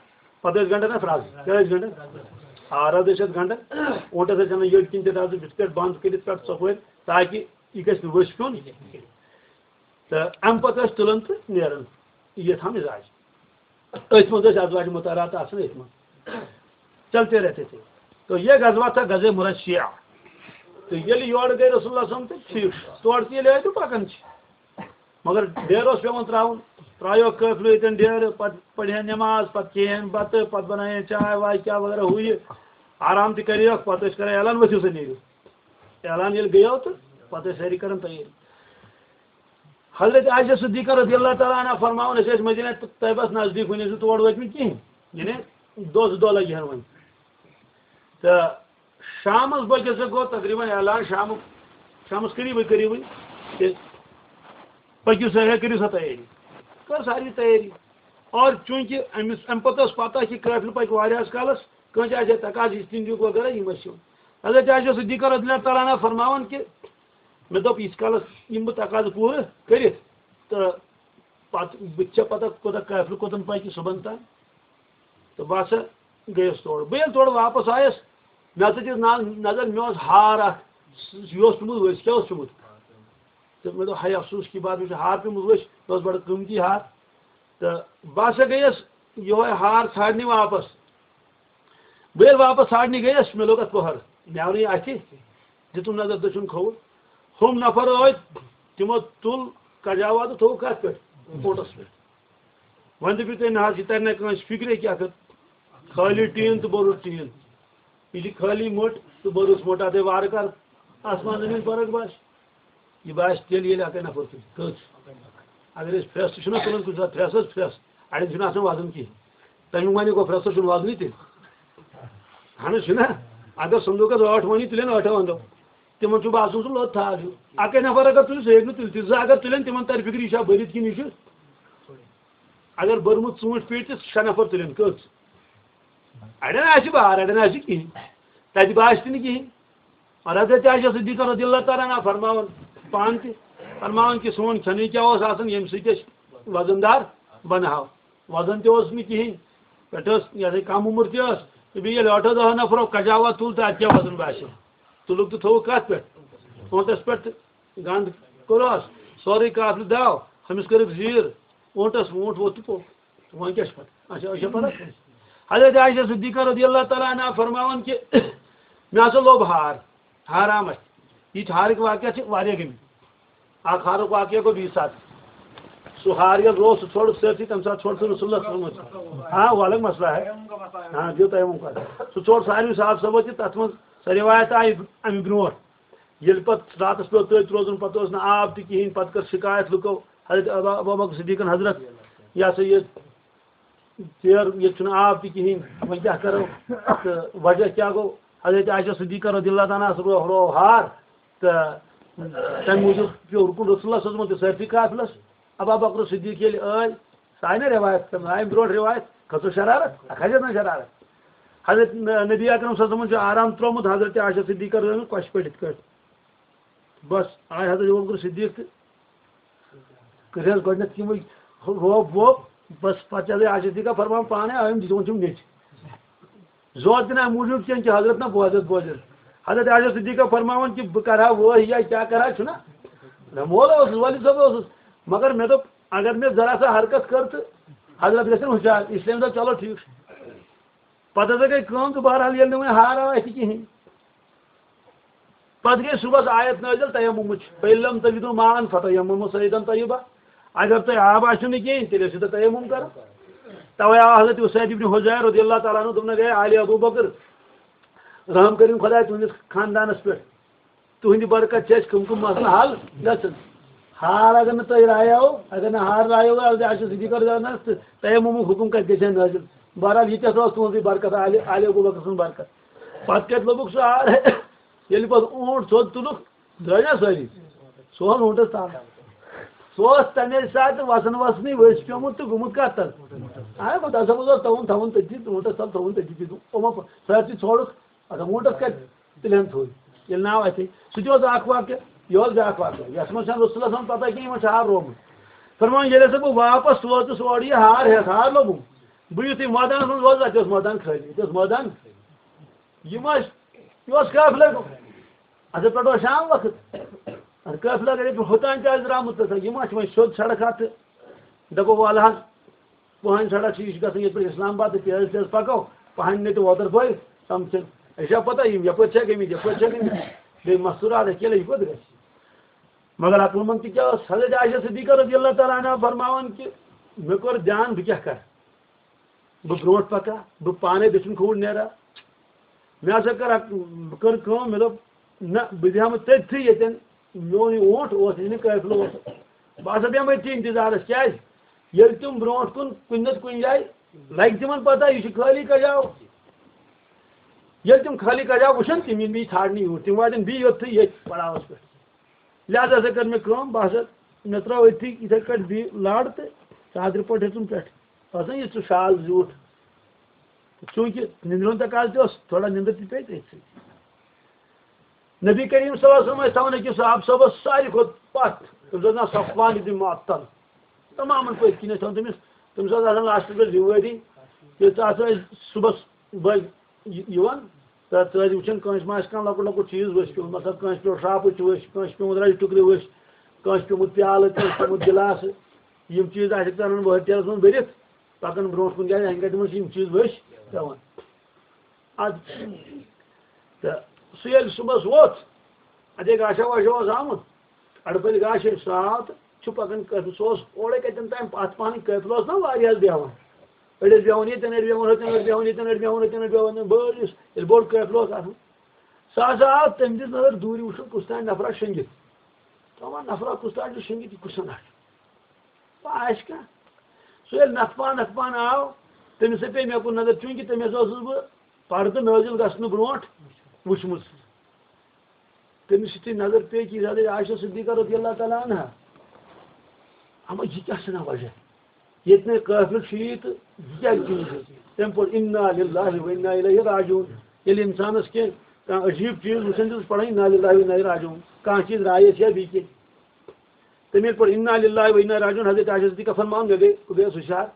پتہٕ ٲسۍ گنڈان اَتھ رز۔ کیٛاہ ٲسۍ گنڈان؟ آ، رز ٲسۍ اَتھ گنڈان۔ اوٗنٹس ٲسۍ اَنان یٔڈ کِنۍ تہِ رز، یِتھ کٲٹھۍ بنٛد کٔرِتھ پٮ۪ٹھ ژۄپٲرۍ، تاکہِ یہِ گژھِ نہٕ ؤسۍ پیوٚن۔ تہٕ اَمہِ پَتہٕ ٲسۍ تُلان تہٕ نیران۔ یہِ تھاو مِزاج۔ أتھۍ منٛز ٲسۍ ازواج مطہرات آسان أتھۍ منٛز۔ چلتے رہتے تھے۔ تو یہ غزوہ تھا غزوہ مرشیہ۔ تہٕ ییٚلہِ یورٕ گٔے رسول اللہ صلی اللہ علیہ وسلم تہٕ ٹھیٖک چھُ۔ تورٕ تہِ ییٚلہِ آے تہٕ پَکان چھِ۔ مگر ڈیرٕ اوس پٮ۪وان ترٛاوُن۔ ترٛایوکھ قٲفلہٕ ییٚتٮ۪ن ڈیرٕ، پَتہٕ پَرِہَن نٮ۪ماز، پَتہٕ کھیٚیَن بَتہٕ، پَتہٕ بَنایَن چاے واے کیٛاہ وغیرہ ہُہ یہِ۔ آرام تہِ کَریوکھ، پَتہٕ ٲسۍ کَران اعلان، ؤتھِو سا نیٖرِو۔ اعلان ییٚلہِ گٔیو تہٕ پَتہٕ ٲسۍ سٲری کَران تیٲری۔ حضرت عائشہ صدیقہ رضی اللہ تعالیٰ عنہ فرماوان، أسۍ ٲسۍ مدینہ طیبس نزدیٖک، وُنہِ ٲسۍ نہٕ تور وٲتمٕتۍ کِہیٖنۍ، یعنی دۄہ زٕ دۄہ لگہِ ہن وۄنۍ۔ تہٕ شامس بٲگۍ ہسا گوٚو تقریباً اعلان، شامُک، شامس قریبٕے قریبٕے، تہٕ پٔکِو سا، ہے، کٔرِو سا تیٲری۔ کٔر ساروی تیٲری۔ اور چوٗنٛکہِ أمِس، اَمہِ پتہٕ ٲس پتہ کہِ قٲفلہٕ پکہِ واریاہس کالس، کٲنٛسہِ آسہِ ہے تقاضہٕ، یہِ چھُ تِہنٛدیُک وغیرہ، یِم ٲسۍ یِوان۔ حضرت عائشہ صدیقہ رضی اللہ تعالیٰ عنہ فرماوان کہِ مےٚ دوٚپ، ییٖتِس کالس یِم بہٕ تقاضہٕ پوٗرٕ کٔرِتھ، تہٕ پتہٕ بہٕ تہِ چھےٚ پتہ کوٗتاہ قٲفلہٕ کوٚتَن پکہِ صُبحن تام۔ تہٕ بہٕ ہسا گٔیَس تورٕ۔ بہٕ ییٚلہِ تورٕ واپس آیَس، مےٚ ہسا دِژ نا-، نظر، مےٚ اوس ہار اکھ، یہِ اوس پیوٚمُت ؤسۍ، کیٛاہ اوس پیوٚمُت؟ تہٕ مےٚ دوٚپ، ہاے افسوس کی بات، مےٚ چھُ ہار پیوٚمُت ؤسۍ، یہِ اوس بڑٕ قۭمتی ہار۔ تہٕ بہٕ ہسا گٔیَس یِہوٚے ہار ژھانٛڈنہِ واپس۔ بہٕ ییٚلہِ واپس ژھانٛڈنہِ گٔیَس، مےٚ لوٚگ اَتھ پٔہر، مےٚ آو نہٕ یہِ اَتھِ۔ دِتُم نظر دٔچھُن کھووُر۔ ہُم نفر ٲدۍ، تِمو تُل کجاوا تہٕ تھوٚو کَتھ پٮ۪ٹھ؟ اوٗنٹَس پٮ۪ٹھ۔ وۄنۍ دٔپِو تُہۍ، نہ حظ، یہِ تَرِ نہ کٲنٛسہِ فِکرے کہِ اَتھ خٲلی ٹیٖن تہٕ بوٚرُس ٹیٖن۔ یہِ چھِ خٲلی مٔٹ تہٕ بٔرٕژ مٔٹ، اَتھَے وارٕ کارٕ آسمان زٔمیٖن فرق باسہِ۔ یہِ باسہِ تیٚلہِ، ییٚلہِ اَکٕے نفر تُلہِ۔ کٔژ؟ اگر أسۍ پھرٛٮ۪س تہِ چھِنہ تُلان کُنہِ ساتہٕ، پھرٛٮ۪س حظ پھرٛٮ۪س، اَڑٮ۪ن چھُنہٕ آسان وزن کِہیٖنۍ۔ تَمیُک وَنہِ گوٚو پھرٛٮ۪سَس چھُنہٕ وزنٕے تیٚلہِ۔ اَہَن حظ چھُنہ۔ اگر صندوٗقَس ٲٹھ مۄنی تُلن، ٲٹھو اَندو، تِمَن چھُ باسان سُہ لوٚت تھل ہیوٗ۔ اَکٕے نفر اگر تُلہِ، سُہ ہیٚکہِ نہٕ تُلِتھ۔ زٕ اگر تُلن، تِمَن تَرِ فِکرِ، یہِ چھا بٔرِتھ کِنہٕ یہِ چھُ۔ اگر بٔرمٕژ ژوٗنٛٹھۍ پیٖٹ تہِ شےٚ نفر تُلن، کٔژ؟ اَڑٮ۪ن آسہِ بار، اَڑٮ۪ن آسہِ کِہیٖنۍ۔ تَتہِ باسہِ تہِ نہٕ کِہیٖنۍ۔ اور حضرت عائشہ صدیقہ رضی اللہ تعالیٰ عنہا فرماوان پانہٕ تہِ، فرماوان کہِ سون کھٮ۪نٕے کیٛاہ اوس آسان، ییٚمہِ سۭتۍ أسۍ وزن دار بنہاو۔ وزن تہِ اوس نہٕ کِہیٖنۍ، پٮ۪ٹھٕ ٲس یہِ ہسا کم عمر تہِ ٲس۔ تہٕ بیٚیہِ ییٚلہِ ٲٹھو دَہو نفرو کجاوا تُل تہٕ اَتہِ کیٛاہ وزن باسیو؟ تُلُکھ تہٕ تھوٚوُکھ کَتھ پٮ۪ٹھ؟ اوٗنٹَس پٮ۪ٹھ تہٕ گنٛد کوٚرہَس، سورُے قافلہٕ داو، ہُمِس کٔرٕکھ زیٖر، اوٗنٹَس، اوٗنٹ ووٚتھ تہٕ پوٚک۔ وۄنۍ کیٛاہ چھِ پَتہ؟ اچھا، أسۍ چھا پَتہ؟ حضرت عائشہ صدیقہ رضی اللہ تعالیٰ عنہا فرماوان کہِ مےٚ ہسا لوٚب ہار، ہار آو مےٚ۔ یہِ چھِ ہارٕکۍ واقعہ چھِ واریاہ گٔمٕتۍ۔ اکھ ہارُک واقعہ گوٚو بیٚیہِ ساتہٕ۔ سُہ ہار ییٚلہِ روو، سُہ ژھوٚڑُکھ سٲرسٕے، تَمہِ ساتہٕ ژھوٚڑ سُہ رسول اللہ صلی اللہ علیہ وسلم۔ ہاں، وۄلگ مسئلہ ہے۔ ہاں، دِیِو تَیمُم کَرُن۔ سُہ ژھوٚڑ ساروی صحابہٕ صٲبو تہِ، تَتھ منٛز سۄ رِوایت آیہِ اَمہِ برونٛٹھ۔ ییٚلہِ پَتہٕ راتَس پیوٚو تٔتھۍ روزُن، پَتہٕ اوس نہٕ آب تہِ کِہیٖنۍ، پَتہٕ کٔر شِکایت لُکو حضرت ابا، ابوبکر صدیٖقَن حضرت، یہِ ہسا یہِ ژیر، ییٚتہِ چھُنہٕ آب تہِ کِہیٖنۍ، وۄنۍ کیٛاہ کَرو؟ تہٕ وجہ کیٛاہ گوٚو؟ حضرت عائشہ صدیقہ رضی اللہ تعالیٰ عنہَس رو-، روو ہار، تہٕ تَمہِ موٗجوٗب پیوٚو رُکُن رسول اللہ صلی اللہ علیہ وسلم تہِ سٲرسٕے قافلَس۔ ابا بکر صدیق ییٚلہِ ٲے، سُہ آیہِ نہ رِوایت کَرنہٕ، آیہِ برونٛٹھ رِوایت، کھٔژٕس شرارت، اَتھ کھسٮ۪س نہ شرارت۔ حضرت نبی اکرم صلی اللہ علیہ وسلمَن چھُ آرام ترٛوومُت، حضرت عائشہ صدیقہ رضی اللہ عنہَس کۄچھِ پٮ۪ٹھ یِتھ کٲٹھۍ۔ بس، آے حضرت ابوبکر صدیق تہٕ کٔرۍ حظ گۄڈٕنٮ۪تھ یِمٕے روب ووب، بس، پتہٕ چھِ حضرت عائشہ صدیقہ فرمان پانے، آے یِم دِتۍ وۄنۍ چھِم نیٚچ۔ زور تہِ نہٕ اَمہِ موٗجوٗب کینٛہہ کہِ حضرت نہ بوزٮ۪س بوزٮ۪س۔ حضرت عائشہ صدیقہ فرماوان کہِ بہٕ کرٕ ہا وٲہۍ یا کیٛاہ کرٕ ہا، چھُنہ؟ نہ، مولہٕ اوسُس، وٲلِد صٲب اوسُس، مگر مےٚ دوٚپ اگر مےٚ ذرا سا حرکت کٔر تہٕ حضرت گژھن ہُشار، اس لیے مےٚ دوٚپ چلو ٹھیٖک چھُ۔ پتہٕ ہسا گٔے کٲم تہٕ بہرحال ییٚلہِ نہٕ وۄنۍ ہار آو اَتھِ کِہیٖنۍ، پتہٕ گٔے صُبحس آیت نٲزِل تیممٕچ، "فَإِن لَّمْ تَجِدُوا مَاءً فَتَيَمَّمُوا صَعِيدًا طَيِّبًا"، اگر تۄہہِ آب آسیو نہٕ کِہیٖنۍ، تیٚلہِ ٲسِو تُہۍ تیمم کران۔ توے آو حضرت اسید ابن حضیر رضی اللہ تعالیٰ عنہ دوٚپُن، "ہے آلِ ابو بکر، رحم کٔرِو خداے تُہنٛدِس خاندانس پٮ۪ٹھ۔" تُہٕنٛدِ برکت چھِ اَسہِ کٕم کٕم مسلہٕ حل گژھان۔ ہار اگر نہٕ تۄہہِ رایاو، اگر نہٕ ہار رایاو، اگر اَسہِ صدیقہ رضوانس تہٕ تیممُک حُکم کَتہِ گژھِ ہا نٲزِل؟ بہرحال، یہِ تہِ ہسا اوس تُہٕنٛزٕے برکت، آلِ، آلِ ابو بکر سٕنٛز برکت۔ پتہٕ کَتہِ لوٚبُکھ سُہ ہار؟ ییٚلہِ پتہٕ اوٗنٹ سیوٚد تُلُکھ، درٛاے نا سٲری؟ سُہ اوس اوٗنٹس تل۔ سُہ اوس تَمے ساتہٕ وَسان وَسنٕے ؤسۍ پیوٚمُت تہٕ گوٚمُت کَتھ تل؟ آ، خۄدا صٲبَس اوس تھاوُن، تھاوُن تٔتی، اوٗنٹس تل تھاوُن تٔتی، تٔتی۔ یِمو سٲرسٕے ژھوڑُکھ۔ اچھا، ووٗنٹس کَتہِ تُلہِ ہن تھوٚد؟ ییٚلہِ ناو اَتھِ۔ سُہ تہِ اوس اکھ واقعہٕ، یہِ اوس بیٛاکھ واقعہٕ، یَتھ منٛز چھَنہٕ رسول اللہ صلی اللہ علیہ وسلم پتہ کینٛہہ، یِمن چھُ ہار روومُت۔ فرمان، ییٚلہِ ہسا بہٕ واپس ووتُس اورٕ یہِ ہار ہٮ۪تھ، ہار لوٚبُم۔ بہٕ یُتھُے مٲدانس منٛز ووتُس، اَتہِ اوس مٲدان خٲلی، اَتہِ اوس مٲدان۔ یِم ٲسۍ، یہِ اوس قٲفلے گوٚمُت۔ اَتھ پٮ۪ٹھ اوس شام وقت۔ اَتھ قٲفلہٕ اگر ییٚتہِ ہوٚتام تہِ آسہِ درٛامُت، تہٕ یِم ما چھِ وۄنۍ سیوٚد سڑک اَتھ تہٕ دَپو، وَلہٕ حظ، پہن سڑک چھِ، یہِ چھِ گژھان ییٚتہِ پٮ۪ٹھ اسلام آباد تہٕ تیز تیز پکو، پہن نیٚٹہِ وۄتر پھٲلۍ، تِم چھِنہٕ، أسۍ چھا پتہ یِم یپٲرۍ چھا گٔمٕتۍ، یپٲرۍ چھا گٔمٕتۍ، بیٚیہِ مستوٗرات اکیلے، یہِ کوٚت گژھِ؟ مگر عقل مند تہِ کیٛاہ اوس؟ حضرت عائشہ صدیقہ رضی اللہ تعالیٰ عنہا فرماوان کہِ مےٚ کوٚر دیان، بہٕ کیٛاہ کرٕ؟ بہٕ برونٛٹھ پکا، بہٕ پانے دٔچھُن کھووُر نیرا۔ مےٚ ہسا کٔر اکھ، کٔر کٲم، مےٚ دوٚپ، نہ، بہٕ بیٚہمہٕ تٔتھٕے ییٚتٮ۪ن میون یہِ اوٗنٹ اوس، یہِ نہٕ قٲفلہٕ اوس۔ بہٕ ہسا بیٚہمہٕ أتھی انتظارس۔ کیٛازِ؟ ییٚلہِ تِم برونٛٹھ کُن کُنہِ نتہٕ کُنہِ جایہِ لگہِ تِمن پتہ، یہِ چھُ خٲلی کجاو۔ ییٚلہِ تِم خٲلی کجاو وٕچھن، تِم یِن بیٚیہِ ژھانٛڈنہِ یوٗرۍ، تِم واتن بیٚیہِ یوٚتھٕے ییٚتھۍ پڑاوس پٮ۪ٹھ۔ لہذا ہسا کٔر مےٚ کٲم، بہٕ ہسا، مےٚ ترٛٲو أتھی یِتھَے کٲٹھۍ بیٚیہِ لَڑ تہٕ ژادرِ پٲٹھۍ ہیوٚتُم پٮ۪ٹھ۔ باسان، یہِ چھُ شال زیوٗٹھ۔ چوٗنٛکہِ نِندرِ ہُنٛد تقاضہٕ تہِ اوس، تھوڑا نِندٕر تہِ پیٚیہِ تٔتھۍ سۭتۍ۔ نبی کریم صلی اللہ علیہ وسلم ٲسۍ تھاوان أکِس صحابہٕ صٲبَس ساروی کھۄتہٕ پَتھ، تٔمِس اوس ناو صفوان ابن معطل۔ تمامَن پٔتۍ کِنۍ ٲسۍ تھاوان تٔمِس، تٔمِس اوس آسان لاسٹَس پٮ۪ٹھ ذِمہٕ وٲری۔ ییٚلہِ ژٕ آسان ٲسۍ صُبحَس بٔلۍ یہِ-، یِوان تہٕ ژٕ ٲسۍ وٕچھان، کٲنٛسہِ ما آسہِ کانٛہہ لۄکُٹ لۄکُٹ چیٖز ؤسۍ پیوٚمُت، مطلب، کٲنٛسہِ پیوٚو شرٛاپٕچ ؤسۍ، کٲنٛسہِ پیوٚمُت رَزِ ٹُکرٕ ؤسۍ، کٲنٛسہِ پیوٚمُت پیالہٕ، کٲنٛسہِ پیوٚمُت گِلاسہٕ۔ یِم چیٖز آسہِ ژٕ اَنان وٲرۍ ٹیلَس منٛز بٔرِتھ، پَکان برونٛٹھ کُن، کیٛازِ اَسہِ گَرِ منٛز چھِ یِم چیٖز ؤسۍ پٮ۪وان۔ اَدٕ تہٕ سُہ ییٚلہِ صُبحَس ووٚتھ، اَتے گاشا واشا اوس آمُت، اَڑٕ پٔتۍ گاشے سُہ آو تہٕ چھُ پَکان قٲفلہٕ۔ سُہ اوس اورَے کَتٮ۪ن تام پَتھ پَہنٕے، قٲفلہٕ اوس نا واریاہَس بیٚہوان۔ أڑۍ ٲسۍ بیٚہوان ییٚتٮ۪ن، أڑۍ بیٚہوان ہُتٮ۪ن، أڑۍ بیٚہوان ییٚتٮ۪ن، أڑۍ بیٚہوان ہُتٮ۪ن، أڑۍ بیٚہوان ییٚتٮ۪ن۔ بٔڑ یُس ییٚلہِ بوٚڑ قٲفلہٕ اوس آسان، سُہ ہسا آو، تٔمۍ دِژ نظر دوٗرِ وٕچھُن کُس تام نفرا شۄنٛگِتھ۔ دَپان، نفرا کُس تام چھُ شۄنٛگِتھ، یہِ کُس نفر؟ ما آسہِ کانٛہہ؟ سُہ ییٚلہِ نَکھٕ پان نَکھٕ پان آو، تٔمِس ہَے پیٚیہِ مےٚ کُن نظر، چوٗنٛکہِ تٔمِس اوسُس بہٕ پردٕ نٲزِل گژھنہٕ برونٛٹھ وٕچھمُت۔ تٔمِس یُتھُے نظر پیٚیہِ کہِ حضرت عائشہ صدیقہ رضی اللہ تعالیٰ عنہا، اما یہِ کیٛاہ چھُنہ وجہ؟ ییٚتہِ نَے قٲفلہٕ چھُ یی تہٕ یہِ کیٛازِ چھُ یہِ؟ تٔمۍ پوٚر انا للہ و انا الیہ راجعون۔ ییٚلہِ اِنسانَس کینٛہہ کانٛہہ عجیٖب چیٖز وٕچھان چھُ، سُہ چھُ پَران انا للہ و انا راجعون۔ کانٛہہ چیٖز رایَس یا بیٚیہِ کینٛہہ۔ تٔمۍ ییٚلہِ پوٚر انا للہ و انا راجعون، حضرت عائشہ صدیقہ فرماوان، مےٚ گٔے، بہٕ گٔیَس ہُشار۔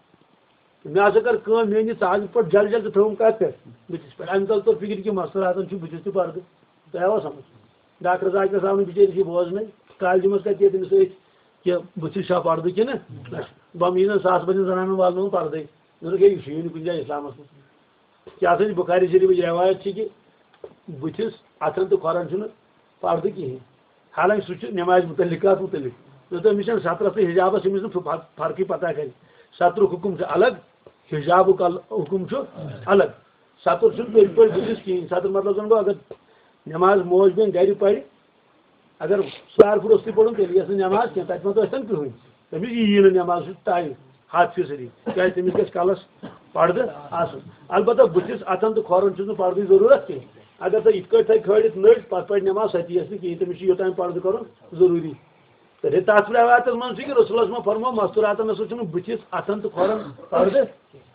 مےٚ ہسا کٔر کٲم، میٛٲنۍ یہِ ژاج پٲٹھۍ جل جل تہٕ تھٲوٕم کَتھ پٮ۪ٹھ؟ بٕتھِس پٮ۪ٹھ۔ اَمہِ تَل توٚر فِکرِ کہِ مستوٗراتَن چھُ بٕتھِس تہِ پردٕ۔ تۄہہِ آوا سمجھ؟ ڈاکٹر ذاکرَس آو نہٕ بِچٲرِس یہِ بوزنَے۔ کالجہِ منٛز کَتہِ ییٚتہِ أمِس أتھۍ کہِ بٕتھِس چھا پردٕ کِنہٕ نہ چھُ؟ بہٕ یی نہٕ ساس بَجن زنانَن والناوُن پردَے۔ مےٚ دوٚپ، ہے، یہِ چھُ یی نہٕ کُنہِ جایہِ اِسلامَس منٛز۔ کیٛاہ سا چھِ بُخاری شریٖفٕچ رٮ۪وایت چھِ کہِ بٕتھِس، اَتھَن تہٕ کھۄرَن چھُنہٕ پردٕ کِہیٖنۍ۔ حالانکہ سُہ چھُ نٮ۪مازِ مُتعلِقات مُتعلِق۔ مےٚ دوٚپ، أمِس چھَنہٕ سترَس تہٕ حجابَس، أمِس چھُنہٕ فر-، فرقٕے پتہ کَرِ۔ سترُک حُکُم چھُ الگ، حجابُک ال-، حُکُم چھُ الگ۔ ستر چھُنہٕ پٔزۍ پٲٹھۍ بٕتھِس کِہیٖنۍ۔ ستر مطلب زَن گوٚو، اگر نٮ۪ماز موج بیٚنہِ گَرِ پَرِ، اگر سُہ آرِ پھُر اوس تہِ پوٚرمُت، تیٚلہِ یِیَس نہٕ نٮ۪ماز کینٛہہ، تَتہِ ما ٲسۍ تَن کٕہٕنۍ۔ تٔمِس یی نہٕ نٮ۪ماز، سُہ تہِ تَوِ ہَتھ فیٖصدی، کیٛازِ تٔمِس گژھِ کَلَس پَردٕ آسُن۔ البتہ بٕتھِس، اَتھَن تہٕ کھۄرَن چھُس نہٕ پَردٕچ ضروٗرت کینٛہہ۔ اگر تۄہہِ یِتھ کٲٹھۍ تھَوِ کھٲلِتھ نٔرۍ، پَتہٕ پَرِ نٮ۪ماز، سۄ تہِ یِیَس نہٕ کِہیٖنۍ، تٔمِس چھُ یوٚتام پَردٕ کَرُن ضروٗری۔ تہٕ تَتھ رٮ۪وایتَس منٛز چھُ کہِ رسول اللہ صٲبَن فرموو، مستوٗراتَن ہسا چھُنہٕ بٕتھِس، اَتھَن تہٕ کھۄرَن پَردٕ۔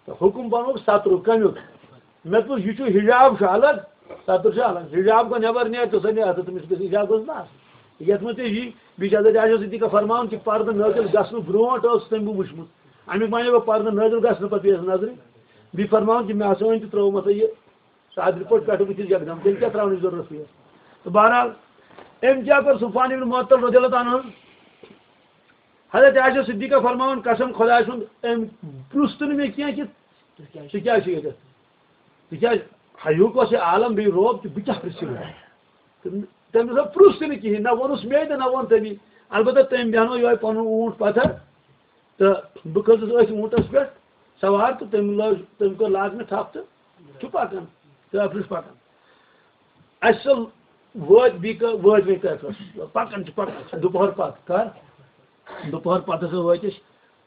تہٕ حُکُم بَنووُکھ سترُک، کَمیُک؟ مےٚ دوٚپُس، یہِ چھُ حجاب چھُ الگ، ستر چھُ الگ۔ حجاب گوٚو نٮ۪بر نیرِ، ژٕ سا نیرِ، ژٕ تٔمِس گژھِ حجاب گوٚژھ نہٕ آسُن۔ یَتھ منٛز تہِ یی، بیٚیہِ چھِ حضرت عائشہ صدیقہ فرماوان کہِ پردٕ نٲزِل گژھنہٕ برونٛٹھ اوس تٔمۍ بہٕ وٕچھمُت۔ اَمیُک معنی گوٚو پردٕ نٲزِل گژھنہٕ پتہٕ پیٚیَس نظرِ۔ بیٚیہِ فرماوان کہِ مےٚ ہسا أنۍ تہٕ ترٛوو مےٚ سا یہِ صادرِ پٲٹھۍ پٮ۪ٹھٕ بٕتھِس یکدم، تیٚلہِ کیٛاہ ترٛاونٕچ ضروٗرت پیٚیَس؟ تہٕ بہرحال، أمۍ کیٛاہ کوٚر؟ صفوان ابن معطل رضی اللہ تعالیٰ عنہ، حضرت عائشہ صدیقہ فرماوان، قسم خۄداے سُنٛد، أمۍ پرُژھ تہٕ نہٕ مےٚ کینٛہہ کہِ ژٕ کیٛازِ چھُکھ ییٚتٮ۪تھ؟ تِکیٛازِ ہیوٗک اوس یہِ عالم بیٚیہِ رعب تہِ، بہٕ کیٛاہ پرٛژھِ وۄنۍ؟ تہٕ تٔمۍ دوٚپ، پرٛژھ تہِ نہٕ کِہیٖنۍ، نہ ووٚنُس مے تہٕ نہ ووٚن تٔمی۔ البتہ تٔمۍ بیٚہنوو یِہوٚے پَنُن اوٗنٛٹ پَتھر تہٕ بہٕ کھٔژٕس أتھۍ اوٗنٛٹَس پٮ۪ٹھ سوار تہٕ تٔمۍ لٲج، تٔمۍ کٔر لاگنہٕ ٹھَپھ تہٕ چھُ پَکان، قٲفلہٕ چھُ پَکان۔ اَسہِ سا وٲتۍ بیٚیہِ کٔر، وٲتۍ وۄنۍ قٲفلَس، پَکان چھِ، پَکان چھِ، دُپہر پَتھ کَر، دُپہر پَتہٕ ہسا وٲتۍ أسۍ،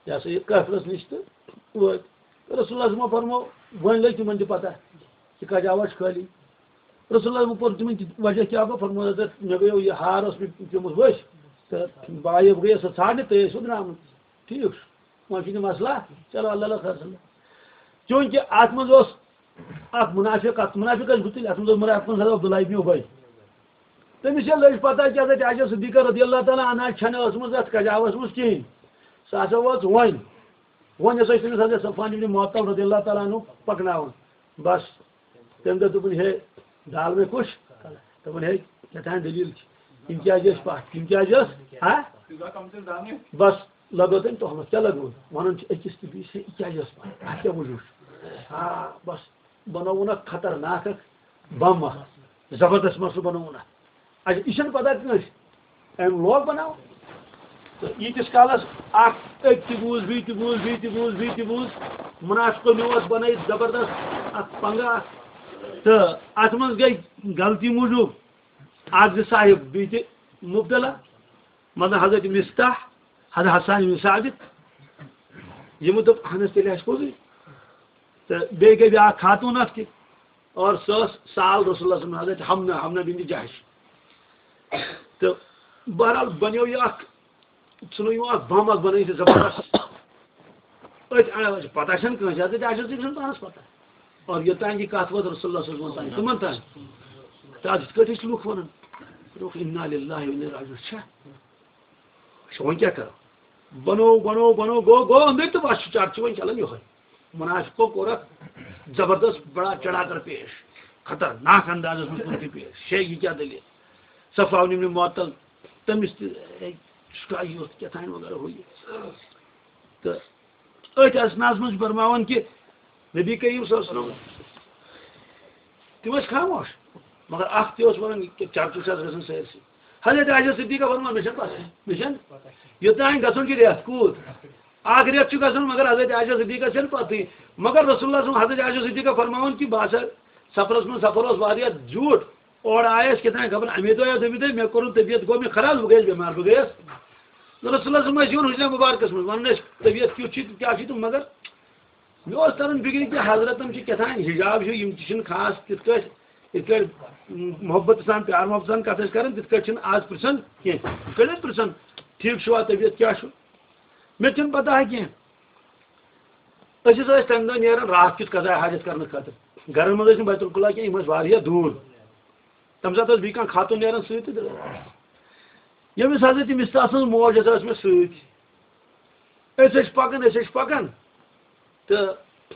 یہِ ہسا یہِ قٲفلَس نِش تہٕ وٲتۍ۔ رسول اللہ صٲبَن فرموو، وۄنۍ لٔج تِمن تہِ پتہ، یہِ کتہِ آو اَسہِ خٲلی۔ رسول اللہ صٲبَن پوٚر تِمن تہِ وجہ کیٛاہ گوٚو، فرموو، حضرت، مےٚ گٔیو یہِ ہار اوس مےٚ پیوٚمُت ؤسۍ، تہٕ بہٕ آیو، بہٕ گٔیَس سۄ ژھانڈنہِ، تُہۍ ٲسِو درٛامٕتۍ۔ ٹھیٖک چھُ، وۄنۍ چھُنہٕ مسلہ، چلو اللہ اللہ خٲر سَلام۔ چوٗنٛکہِ اَتھ منٛز اوس اَکھ مُنافِق، اَتھ مُنافِق ٲسۍ گُتٕلۍ، اَتھ منٛز اوس مُنافِقَن حضرت عبداللہ ابن اُبَی۔ تٔمِس ییٚلہِ لٔج پتہ کہِ حضرت عائشہ صدیقہ رضی اللہ تعالیٰ عنہا چھَنہٕ ٲسمٕژ اَتھ کجاوَس منٛز کِہیٖنۍ، سۄ ہسا وٲژ وۄنۍ۔ وۄنۍ ہسا چھِ تٔمِس حضرت صفوان ابن معطل رضی اللہ تعالیٰ عنہ پکناوان۔ بس، تٔمۍ دوٚپ، دوٚپُن، ہے، ڈال مےٚ کُس؟ دوٚپُن، ہے، کیٛاہ تام دٔلیٖل چھِ۔ یِم کیٛازِ ٲسۍ پَتھ؟ یِم کیٛازِ ٲسۍ؟ ہا؟ بس، لگٲو تٔمۍ تۄہمَس۔ کیٛاہ لگٲو؟ وَنان چھِ أکِس تہٕ بیٚیِس، ہے، یہِ کیٛازِ ٲس پَتھ؟ اَتھ کیٛاہ وجوٗہ چھُ؟ آ، بس، بنووُن اَکھ خطرناک اَکھ بم اَکھ، زبردست مسلہٕ بنووُن اَتھ۔ اچھا، یہِ چھَنہٕ پتہ کٲنٛسہِ۔ أمۍ لوگ بناوُن۔ تہٕ ییٖتِس کالس اکھ أکۍ تہِ بوٗز، بیٚیہِ تہِ بوٗز، بیٚیہِ تہِ بوٗز، بیٚیہِ تہِ بوٗز، منافقو نیوٗ اَتھ بنٲیِتھ زبردست اکھ پنگہٕ اکھ۔ تہٕ اَتھ منٛز گٔے غلطی موٗجوٗب اکھ زٕ صاحب بیٚیہِ تہِ مُبتلا، مطلب حضرت مِستاح، حضرت حسان بن ثابت، یِمو دوٚپ، اہن حظ، تیٚلہِ آسہِ پوٚزُے۔ تہٕ بیٚیہِ گٔے بیٛاکھ خاتوٗن اَتھ تہِ، اور سۄ ٲس سال رسول اللہ صلی اللہ علیہ وسلم، حضرت حمنہ، حمنہ بنت جحش۔ تہٕ بہرحال بنیو یہِ اَکھ، ژھٕنو یِمو اَکھ بم اَکھ بنٲیِتھ، یہِ زبردست۔ أتھۍ اَڑَس چھِ پتہ چھَنہٕ کٲنٛسہِ، حضرت عائشہ صدیقہ چھَنہٕ پانَس پتہ۔ اور یوٚتام یہِ کَتھ وٲژ رسول اللہ صلی اللہ علیہ وسلم تام، تِمَن تام۔ تہٕ اَتھ یِتھ کٲٹھۍ ٲسۍ لُکھ وَنان، دوٚپُکھ، انا للہ و انا الیہ راجعون۔ چھا؟ اچھا، وۄنۍ کیٛاہ کرو؟ بنوو، بنوو، بنوو، گوٚو، گوٚو أنٛدٕرۍ تہٕ بس چھُ چرچہِ وۄنۍ چلان یِہوٚے۔ منافقو کوٚر اَتھ زبردست، بڑا چڑھا کر پیش، خطرناک اندازس منٛز کوٚر تہِ پیش، شے، یہِ کیٛاہ دٔلیٖل؟ صفوان ابن معطل، تٔمِس تہِ، ہے، سُہ کیٛاہ یوٗت کیٛاہ تام وغیرہ ہُہ یہِ۔ تہٕ أتھۍ اثناہس منٛز چھُ فرماوان کہِ نبی کریم صلی اللہ علیہ وسلم، تِم ٲسۍ خاموش، مگر اکھ تہِ اوس وَنان، یہِ کیٛاہ چرچہٕ چھِ آز گژھان سٲرسٕے۔ حضرت عائشہ صدیقہ فرماوان، مےٚ چھَنہٕ پَتہ، مےٚ چھَنہٕ، یوٚتام گژھُن چھُ رٮ۪تھ کوٗت، اکھ رٮ۪تھ چھُ گژھُن، مگر حضرت عائشہ صدیقہ چھَنہٕ پَتہٕے۔ مگر رسول اللہ صلی اللہ علیہ وسلم، حضرت عائشہ صدیقہ فرماوان کہِ بہٕ ہسا سفرس منٛز، سفر اوس واریاہ زیوٗٹھ، اورٕ آیس کیٛاہ تام خبر اَمے دۄہ یا دوٚیمہِ دۄہہِ، مےٚ کوٚرُن طبیعت، گوٚو مےٚ خراب، بہٕ گٔیَس بٮ۪مار، بہٕ گٔیَس۔ رسول اللہ صلی اللہ علیہ وسلم ٲسۍ یِوان حجرہ مبارکس منٛز، وَنان ٲسۍ، طبیعت کیُتھ چھُے تہٕ کیٛاہ چھُے تہٕ، مگر مےٚ اوس تران فِکرِ کہِ حضرتن چھِ کیٛاہ تام حجاب ہیوٗ، یِم تہِ چھِنہٕ خاص تِتھ کٲٹھۍ، یِتھ کٲٹھۍ محبت سان، پیار محبت سان کتھ ٲسۍ کران، تِتھ کٲٹھۍ چھِنہٕ آز پرژھان کینٛہہ۔ یِتھ کٲٹھۍ ٲسۍ پرژھان، "ٹھیٖک چھُوا، طبیعت کیٛاہ چھُ؟" مےٚ تہِ چھَنہٕ پتہ کینٛہہ۔ أسۍ ہسا ٲسۍ تَمہِ دۄہ نیران راتھ کیُتھ قضاء حاجت کرنہٕ خٲطرٕ۔ گرن منٛز ٲسۍ نہٕ بیت الخلا کینٛہہ، یِم ٲسۍ واریاہ دوٗر۔ تَمہِ ساتہٕ ٲس بیٚیہِ کانٛہہ خاتوٗن نیران سۭتۍ تہٕ ییٚمِس حضرت مِستاح سٕنٛز موج ہسا ٲس مےٚ سۭتۍ۔ أسۍ ٲسۍ پَکان، أسۍ ٲسۍ پَکان۔ تہٕ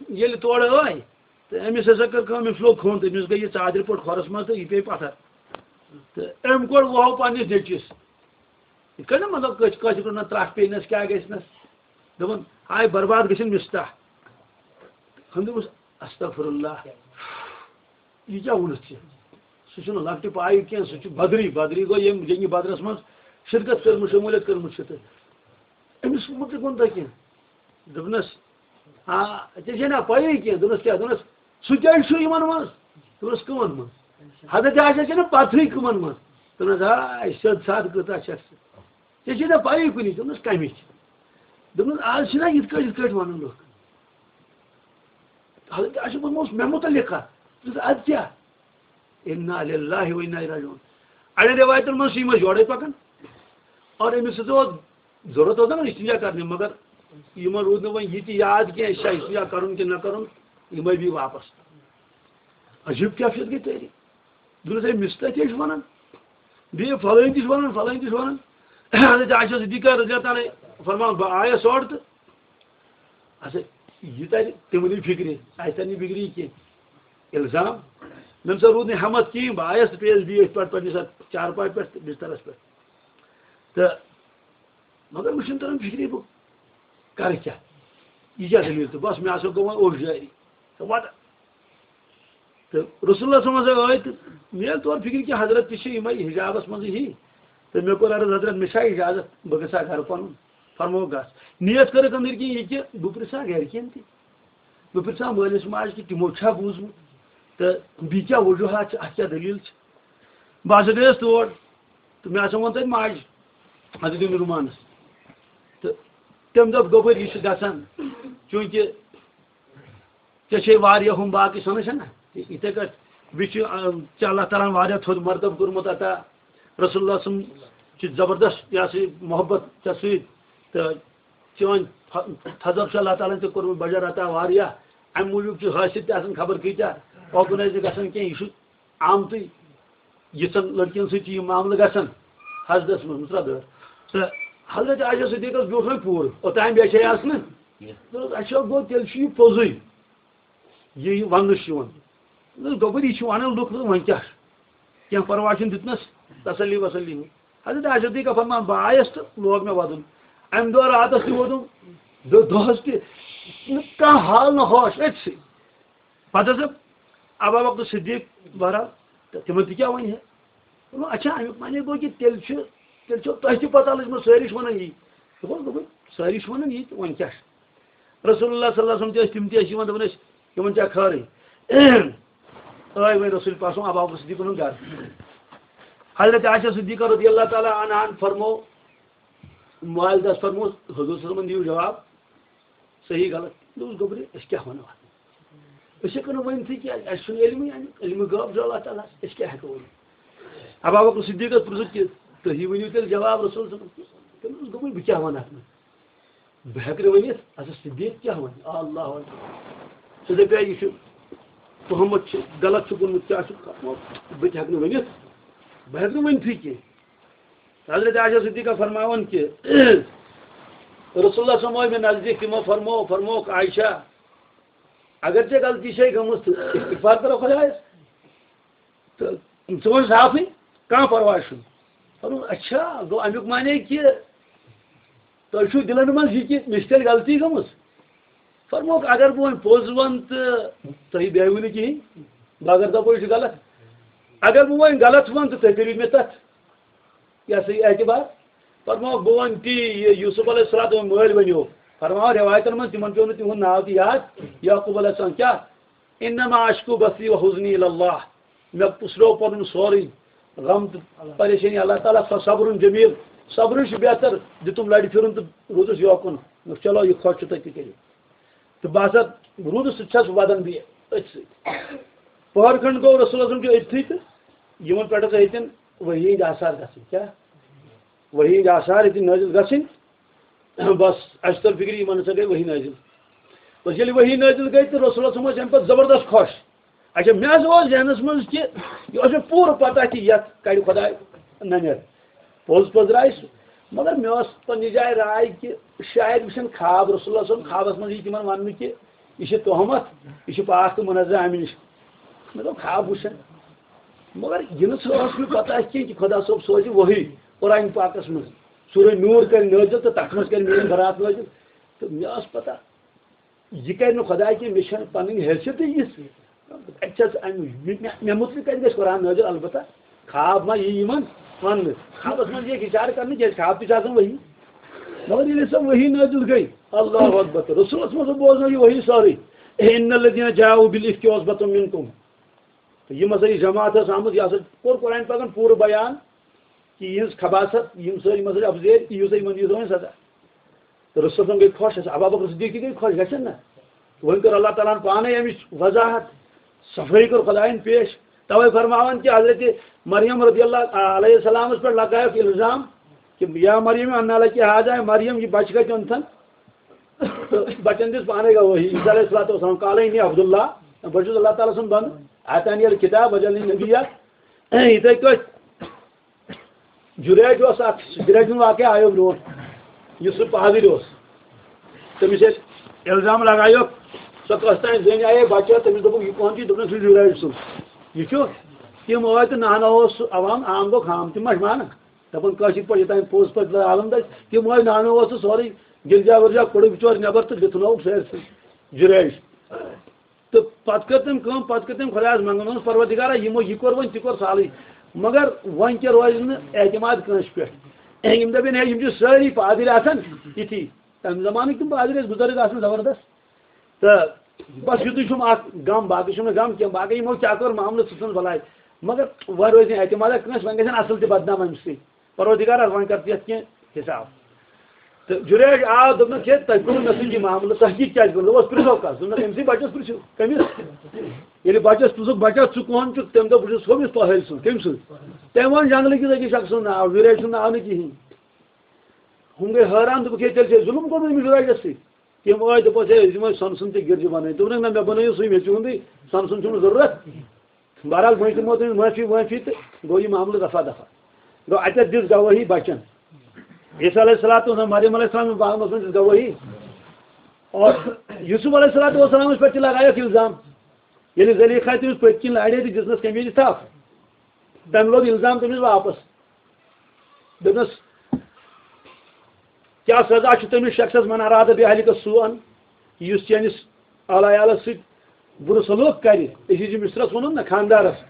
ییٚلہِ تورٕ آے، تہٕ أمِس ہسا کٔر کٲم، أمِس لوٚگ کھوٚن، تہٕ أمِس گٔے یہِ ژادرِ پٲٹھۍ کھۄرَس منٛز، تہٕ یہِ پیٚیہِ پَتھر۔ تہٕ أمۍ کوٚر وُہو پنٛنِس نیٚچوِس۔ یِتھ کٔنۍ نہ، مطلب، کٲنٛسہِ، کٲنٛسہِ کوٚر نہ ترٛٹھ پیٚیہِ نَس، کیٛاہ گژھِ نَس؟ دوٚپُن، "ہاے، برباد گٔژھِنۍ مِستاح۔" ہُم دوٚپُس، "استغفر اللہ۔" یہِ کیٛاہ ووٚنُتھ ژےٚ؟ سُہ چھُنہٕ لۄکٹہِ پایہِ کینٛہہ، سُہ چھُ بدری، بدری گوٚو ییٚمۍ جنگِ بدرس منٛز شرکت کٔرمٕژ، شموٗلیت کٔرمٕژ چھِ۔ تہٕ أمِس مُتعلِق ووٚن تۄہہِ کینٛہہ؟ دوٚپنَس، "آ، ژےٚ چھے نہ پَیی کینٛہہ؟" دوٚپنَس، "کیٛاہ؟" دوٚپنَس، "سُہ کیٛازِ چھُ یِمَن منٛز؟" دوٚپنَس، "کٕمَن منٛز؟" حضرت عائشہ چھےٚ نہٕ پَتہٕے کٕمَن منٛز۔ دوٚپنَس، "آ، سیوٚد سادٕ کۭژاہ چھَس ژٕ؟ ژےٚ چھے نہ پَیی کُنِچ؟" دوٚپنَس، "کَمِچ؟" دوٚپنَس، "آز چھِنہ یِتھ کٲٹھۍ، یِتھ کٲٹھۍ وَنان لُکھ۔" حضرت عائشہ فرموس، "مےٚ مُتعلِق کَتھ؟" دوٚپُس، "اَدٕ کیٛاہ؟ انا للہ و انا الیہ راجعون۔" اَڑٮ۪ن رِوایتَن منٛز چھِ یِم ٲسۍ یورَے پَکان۔ اور أمِس سۭتۍ اوس ضروٗرت اوس نہ استنجا کرنہِ، مگر یِمن روٗد نہٕ وۄنۍ یہِ تہِ یاد کینٛہہ، أسۍ چھا استنجا کرُن کِنہٕ نہ کرُن، یِم ٲسۍ بیٚیہِ واپس۔ عجیٖب کیفیت گٔے تٲری۔ دوٚپنَس، "ہے، مِستٲتۍ ٲسۍ وَنان، بیٚیہِ فلٲنۍ تہِ چھِ وَنان، فلٲنۍ تہِ چھِ وَنان۔" حضرت عائشہ صدیقہ رضی اللہ تعالیٰ عنہا فرمان، بہٕ آیس اورٕ تہٕ اچھا، یہِ تَرِ تِمنٕے فِکرِ، اَسہِ تَرِ نہٕ فِکرِ یہِ کینٛہہ۔ الزام، مےٚ نہ سا روٗد نہٕ ہٮ۪متھ کِہیٖنۍ، بہٕ آیس تہٕ پیٚیَس بیٚیہِ أتھۍ پٮ۪ٹھ، پنٛنِس اَتھ چارپایہِ پٮ۪ٹھ تہٕ بِسترَس پٮ۪ٹھ۔ تہٕ مگر مےٚ چھُنہٕ تران فِکرِ بہٕ کَرٕ کیٛاہ؟ یہِ کیٛاہ دٔلیٖل؟ تہٕ بَس، مےٚ ہسا گوٚو وۄنۍ اوٚش جٲری۔ تہٕ وَتہٕ۔ تہٕ رسول اللہ صلی اللہ علیہ وسلم ٲے تہٕ مےٚ ییٚلہِ تورٕ فِکرِ کہِ حضرت تہِ چھِ یِمَے حجابَس منٛزٕے ہی۔ تہٕ مےٚ کوٚر عرض، "حضرت، مےٚ چھا اجازت بہٕ گژھٕ ہا گرٕ پَنُن؟" فرمووُکھ، "گژھ۔" نیت کٔرٕکھ أنٛدٕرۍ کِنۍ یہِ کہِ بہٕ پرٛژھٕ ہا گرِکٮ۪ن تہِ، بہٕ پرٛژھٕ ہا مٲلِس ماجہِ کہِ تِمو چھا بوٗزمُت تہٕ بیٚیہِ کیٛاہ وجوٗہات چھِ، اَتھ کیٛاہ دٔلیٖل چھِ۔ بہٕ ہسا گٔیَس تور تہٕ مےٚ ہسا ووٚن تَتہِ ماجہِ، حضرت ابن رُمانَس۔ تہٕ تٔمۍ دوٚپ، "گوٚبُر، یہِ چھُ گژھان، چوٗنٛکہِ ژےٚ چھے واریاہ ہُم باقٕے سۄنہٕ چھَنا؟ یِتھَے کٲٹھۍ بیٚیہِ چھُ، آ، ژےٚ اللہ تعالیٰ ہَن واریاہ تھوٚد مرتبہٕ کوٚرمُت عطا۔ رسول اللہ صلی اللہ علیہ وسلم چھِ زبردست، یہِ ہسا یہِ محبت ژےٚ سۭتۍ۔ تہٕ چٲنۍ تھ-، تھزر چھُ اللہ تعالیٰ ہَن ژےٚ کوٚرمُت بجر عطا واریاہ۔ اَمہِ موٗجوٗب چھُ حٲصِل تہِ آسان خبر کۭتیٛاہ، اوکُن ٲسۍ نہٕ گژھان کینٛہہ، یہِ چھُ آمتُے۔ یِژھن لڑکِین سۭتۍ چھِ یِم معاملہٕ گژھان حسدس منٛز، مُترا دٲر۔ تہٕ حضرت عائشہ صدیقس بیوٗٹھ وۄنۍ پوٗرٕ، اوٚتام بیچھے آسہٕ نہٕ۔ دوٚپُس، "اچھا، گوٚو تیٚلہِ چھُ یہِ پوٚزُے، یہِ، یہِ وننہٕ چھُ یِوان۔" دوٚپُس، "گوٚبُر، یہِ چھُ ونان لُکھ، وۄنۍ کیٛاہ چھُ؟ کینٛہہ پرواے چھُنہٕ۔" دیُتنس تسلی وسلی۔ حضرت عائشہ صدیقہ فرمان، بہٕ آیس تہٕ لوگ مےٚ ودُن۔ امہِ دۄہ راتس تہِ ووٚدُم، دۄ-، دۄہس تہِ، نہٕ کانٛہہ حال نہ ہوش، أتھۍ سۭتۍ۔ پتہٕ ہسا ابا بکر صدیق، بہرحال، تہٕ تِمن تہِ کیٛاہ وَنہِ ہے؟ دوٚپُن، اچھا، اَمیُک معنی گوٚو کہِ تیٚلہِ چھُ، تیٚلہِ چھو تۄہہِ تہِ پتہ لٔجمٕژ، سٲری چھِ وَنان یی۔ دوٚپُن، دوٚپُن، سٲری چھِ وَنان یی، تہٕ وۄنۍ کیٛاہ چھُ؟ رسول اللہ صلی اللہ علیہ وسلم تہِ ٲسۍ، تِم تہِ ٲسۍ یِوان، دَپان ٲسۍ، یِمن چھا خٲرٕے؟ ٲے وۄنۍ رسول پاک صلی اللہ علیہ وسلم ابا بکر صدیقُن ہُنٛد گرٕ۔ حضرت عائشہ صدیقہ رضی اللہ تعالیٰ عنہَن فرمو، والدس فرموس، حضور صلی اللہ علیہ وسلمن دِیِو جواب۔ صحیح غلط۔ مےٚ اوس گوٚبرِ، أسۍ کیٛاہ وَنو اَتھ؟ أسۍ ہٮ۪کو نہٕ ؤنۍتھٕے کینٛہہ، اَسہِ چھُنہٕ علمٕے اَمیُک، علمہٕ غٲب چھُ اللہ تعالیٰ ہَس، أسۍ کیٛاہ ہٮ۪کو ؤنِتھ؟ ابا بکر صدیقس پرٛژھُکھ کہِ تُہی ؤنِو تیٚلہِ جواب رسول صٲبَس۔ تٔمۍ دوٚپُس، گوٚبُر، بہٕ کیٛاہ وَنہٕ اَتھ منٛز؟ بہٕ ہٮ۪کہٕ نہٕ ؤنِتھ، اَسا صدیق کیٛاہ وَنہِ؟ اللہ اکبر۔ سُہ دَپہِ، یہِ چھُ تُہمت چھِ، غلط چھُ گوٚمُت، کیٛاہ چھُ، بہٕ تہِ ہٮ۪کہٕ نہٕ ؤنِتھ، بہٕ ہٮ۪کہٕ نہٕ ؤنۍتھٕے کینٛہہ۔ حضرت عائشہ صدیقہ فرماوان کہ رسول اللہ صلی اللہ علیہ وسلم مےٚ نزدیٖک، تِمو فرمو، فرمووُکھ، عائشہ، اگر ژےٚ غلطی چھے گٔمٕژ تہٕ استغفار کرو خۄدایس۔ تہٕ ژٕ وَن صافٕے، کانٛہہ پرواے چھُنہٕ۔ فرموو، اچھا، گوٚو اَمیُک معنی کہِ تۄہہِ چھُو دِلن منٛز یہِ کہِ مےٚ چھِ تیٚلہِ غلطی گٔمٕژ؟ فرمووُکھ، اگر بہٕ وۄنۍ پوٚز وَنہٕ تہٕ تُہۍ بیٚہوٕ نہٕ کِہیٖنۍ، بہٕ اگر دَپو یہِ چھُ غلط، اگر بہٕ وۄنۍ غلط وَنہٕ تہٕ تُہۍ کٔرِو مےٚ تَتھ یہِ ہسا یہِ اعتبار۔ فرماوکھ، بہٕ وَنہٕ تی، یہِ یوسف علیہ السلام مٲلۍ ؤنِو۔ فرماوان رٮ۪وایتَن منٛز، تِمَن پیوٚو نہٕ تِہُنٛد ناو تہِ یاد، یعقوب علیہ السلام۔ کیٛاہ؟ انما اشکو بثی و حزنی الی اللہ۔ مےٚ پُشرو پنُن سورُے غم تہٕ پریشٲنی اللہ تعالیٰ۔ فصبر جمیل، صبرٕے چھُ بہتر۔ دیُتُم لرِ پھِرُن تہٕ روٗدُس یوکُن۔ دوٚپُکھ، چلو، یہِ خۄش چھُ تۄہہِ تہِ کٔرِو۔ تہٕ بہٕ ہسا روٗدُس، سُہ تہِ چھَس وَدان بیٚیہِ أتھۍ سۭتۍ۔ پٔہر کھنٛڈ گوٚو رسول اعظم چھُ أتھی تہٕ یِمن پٮ۪ٹھ ہسا ہیٚتٮ۪ن وحی ہٕنٛدۍ آثار گژھٕنۍ۔ کیٛاہ؟ وحی ہٕنٛدۍ آثار ہیٚتِن نٲزِل گژھٕنۍ۔ بس، اَسہِ توٚر فِکرِ، یِمن ہسا گٔے وحی نٲزِل۔ بس، ییٚلہِ وحی نٲزِل گٔے تہٕ رسول اعظم ٲسۍ اَمہِ پتہٕ زبردست خۄش۔ اچھا، مےٚ حظ اوس ذہنس منٛز کہِ یہِ اوس مےٚ پوٗرٕ پتہ کہِ یتھ کڑِ خۄداے ننٮ۪ر۔ پوٚز پٔزرایہِ سُہ۔ مگر مےٚ اوس پننہِ جایہِ راے کہِ شاید وٕچھن خواب، رسول اللہ صلی اللہ علیہ وسلم خوابس منٛز یی تِمن وننہٕ کہِ یہِ چھِ تہمت، یہِ چھِ پاک تہٕ منزہ امہِ نِش۔ مےٚ دوٚپ، خواب وٕچھن۔ مگر یہِ نہٕ سُہ اوس مےٚ پتہ کینٛہہ کہِ خۄدا صٲب سوزِ وحی قرآن پاکس منٛز۔ سورہ نور کرِ نٲزِل تہٕ تتھ منٛز کرِ میٲنۍ برات نٲزِل۔ تہٕ مےٚ ٲس پتہ، یہِ کرِ نہٕ خۄداے کینٛہہ، مےٚ چھَنہٕ پنٕنۍ حیثیتٕے یِژھ۔ اَتہِ چھَس اَمہِ، مےٚ، مےٚ مُتعلِق کَتہِ گژھِ قرآن نٲزِل؟ البتہ خواب ما یی یِمن وَننہٕ؟ خوابَس منٛز یی اِشارٕ کرنہٕ، کیٛازِ خواب تہِ چھِ آسان وحی۔ مگر ییٚلہِ سۄ وحی نٲزِل گٔے، اللہ اکبر، تہٕ رسولَس منٛز بوزنٲو یہِ وحی سٲرٕے۔ ان الذین جاءوا بالافک عصبۃ منکم۔ تہٕ یِم ہسا یہِ جماعت ٲس آمٕژ، یہِ ہسا کوٚر قرآن پاکن پوٗرٕ بیان کہِ یِہٕنٛز خباثت، یِم سٲری مسٲجد اپزیٲرۍ، یِیِو سا یِمن دِیِو سا وۄنۍ سزا۔ تہٕ رسول صٲب گٔے خۄش، حضرت ابو بکر صدیق تہِ گٔے خۄش، گژھن نہ؟ وۄنۍ کٔر اللہ تعالیٰ ہن پانے امِچ وضاحت، صفٲیی کٔر خۄدایَن پیش۔ توے فرماوان کہِ حضرت مریم رضی اللہ علیہ السلامس پٮ۪ٹھ لگایکھ الزام کہِ یا مریم انا لکی ہذا، مریم، یہِ بچہِ کتہِ اوٚنتھن؟ تہٕ بچن دِژ پانے گواہی، عیسیٰ علیہ الصلوۃ والسلام، قال انی عبد اللہ، بہٕ چھُس اللہ تعالیٰ سُنٛد بندٕ، آتانی الکتاب وجعلنی نبیا۔ یِتھے کٲٹھۍ جُریج اوس اکھ، جُریج ہُنٛد واقعہ آیو برونٛٹھ، یُس سُہ پادٕرۍ اوس۔ تٔمِس ییٚلہِ الزام لگایوکھ، سۄ کۄس تام زٔنۍ آیے بچہِ، تٔمِس دوٚپُکھ، "یہِ کون چھُ؟" دوٚپنَس، "یہِ چھُ جُریج سُنٛد۔ یہِ چھُ؟" تِم ٲے تہٕ نہنو اوس سُہ عوام، عام گوٚو خام، تِم ما چھِ مانان؟ دَپان، کٲشِرۍ پٲٹھۍ یوٚتام پوٚز پٲٹھۍ عالم دَسہِ، تِم ٲے نہنو اوس سُہ سورُے گِرجا وِرجا کوٚڑُکھ بِچور نٮ۪بر تہٕ دیُتنووُکھ سٲرسٕے جُریج۔ تہٕ پتہٕ کٔر تٔمۍ کٲم، پتہٕ کٔر تٔمۍ خۄدایَس منٛگُن، دوٚپنَس، "پروردگارا، یِمو یہِ کوٚر وۄنۍ، تہِ کوٚر سہلٕے، مگر وۄنۍ کیٛاہ روزِ نہٕ اعتماد کٲنٛسہِ پٮ۪ٹھ؟" یِم دَپن، "ہے، یِم چھِ سٲری پادٕرۍ آسان یِتھی۔" تَمہِ زمانٕکۍ تِم پادٕرۍ ٲسۍ بُزرگ آسان زبردست۔ تہٕ بس یُتُے چھُم اکھ غم، باقٕے چھُم نہٕ غم کینٛہہ، باقٕے یِمو کیٛاہ کوٚر معاملہٕ، سُہ ژھٕنُس بلاے۔ مگر وۄنۍ روزِ نہٕ اعتمادہ کٲنٛسہِ، وۄنۍ گژھن اصٕل تہِ بدنام اَمہِ سۭتۍ۔ پروردگار، وۄنۍ کر ژٕ یتھ کینٛہہ حساب۔ تہٕ جُریج آو، دوٚپنَس، "ہے، تۄہہِ کوٚروٕ مےٚ سۭتۍ یہِ معاملہٕ، تۄہہِ کِتھ کیٛازِ کوٚروٕ؟" دوٚپُس، "پرٛژھو کَس؟" دوٚپنَس، "أمۍ سٕے بَچَس پرٛژھِو۔" کٔمِس؟ ییٚلہِ بَچَس پرٛژھُکھ، "بَچا، ژٕ کون چھُکھ؟" تٔمۍ دوٚپ، "بہٕ چھُس ہُمِس طاہِر سُنٛد۔" کٔمۍ سُنٛد؟ تٔمۍ ووٚن جنٛگلہٕ کِس أکِس شخص سُنٛد ناو، جُریج سُنٛد ناو نہٕ کِہیٖنۍ۔ ہُم گٔے حٲران، دوٚپُکھ، "ہے، تیٚلہِ چھِ أسۍ ظُلُم کوٚرمُت أمِس جُریجَس سۭتۍ۔" تِم ٲسۍ، دوٚپُس، "ہے، أسۍ دِمو سۄنہٕ سُنٛد تہِ گِرجہِ بَنٲوِتھ۔" دوٚپُکھ، "نہ، مےٚ بَنٲیِو سُے، مےٚ چھُ یِہُنٛدُے سۄنہٕ سُنٛد چھُنہٕ ضروٗرت۔" بہرحال، وۄنۍ دِمو تٔمِس معٲفی وٲفی تہٕ گوٚو یہِ معاملہٕ رفع دفع۔ گوٚو اَتٮ۪تھ دِژ گواہی بَچَن۔ عیسیٰ علیہ الصلوۃ والسلام، مریم علیہ السلام باغس منٛز دِژ گواہی۔ اور یوسف علیہ الصلوۃ والسلامس پٮ۪ٹھ تہِ لگایکھ الزام۔ ییٚلہِ زلیخا تٔمِس پٔتۍ کِنۍ لارے تہٕ دِژنَس قمیٖض تھپھ، تٔمۍ لوگ الزام تٔمِس واپس۔ دوٚپنَس، کیٛاہ سزا چھُ تٔمِس شخصس من اراد بِاہلِکَ سوءً، یُس چٲنِس اہل عیالس سۭتۍ بُرٕ سلوک کرِ؟ عزیز مصرس ووٚنُن نہ خاندارس،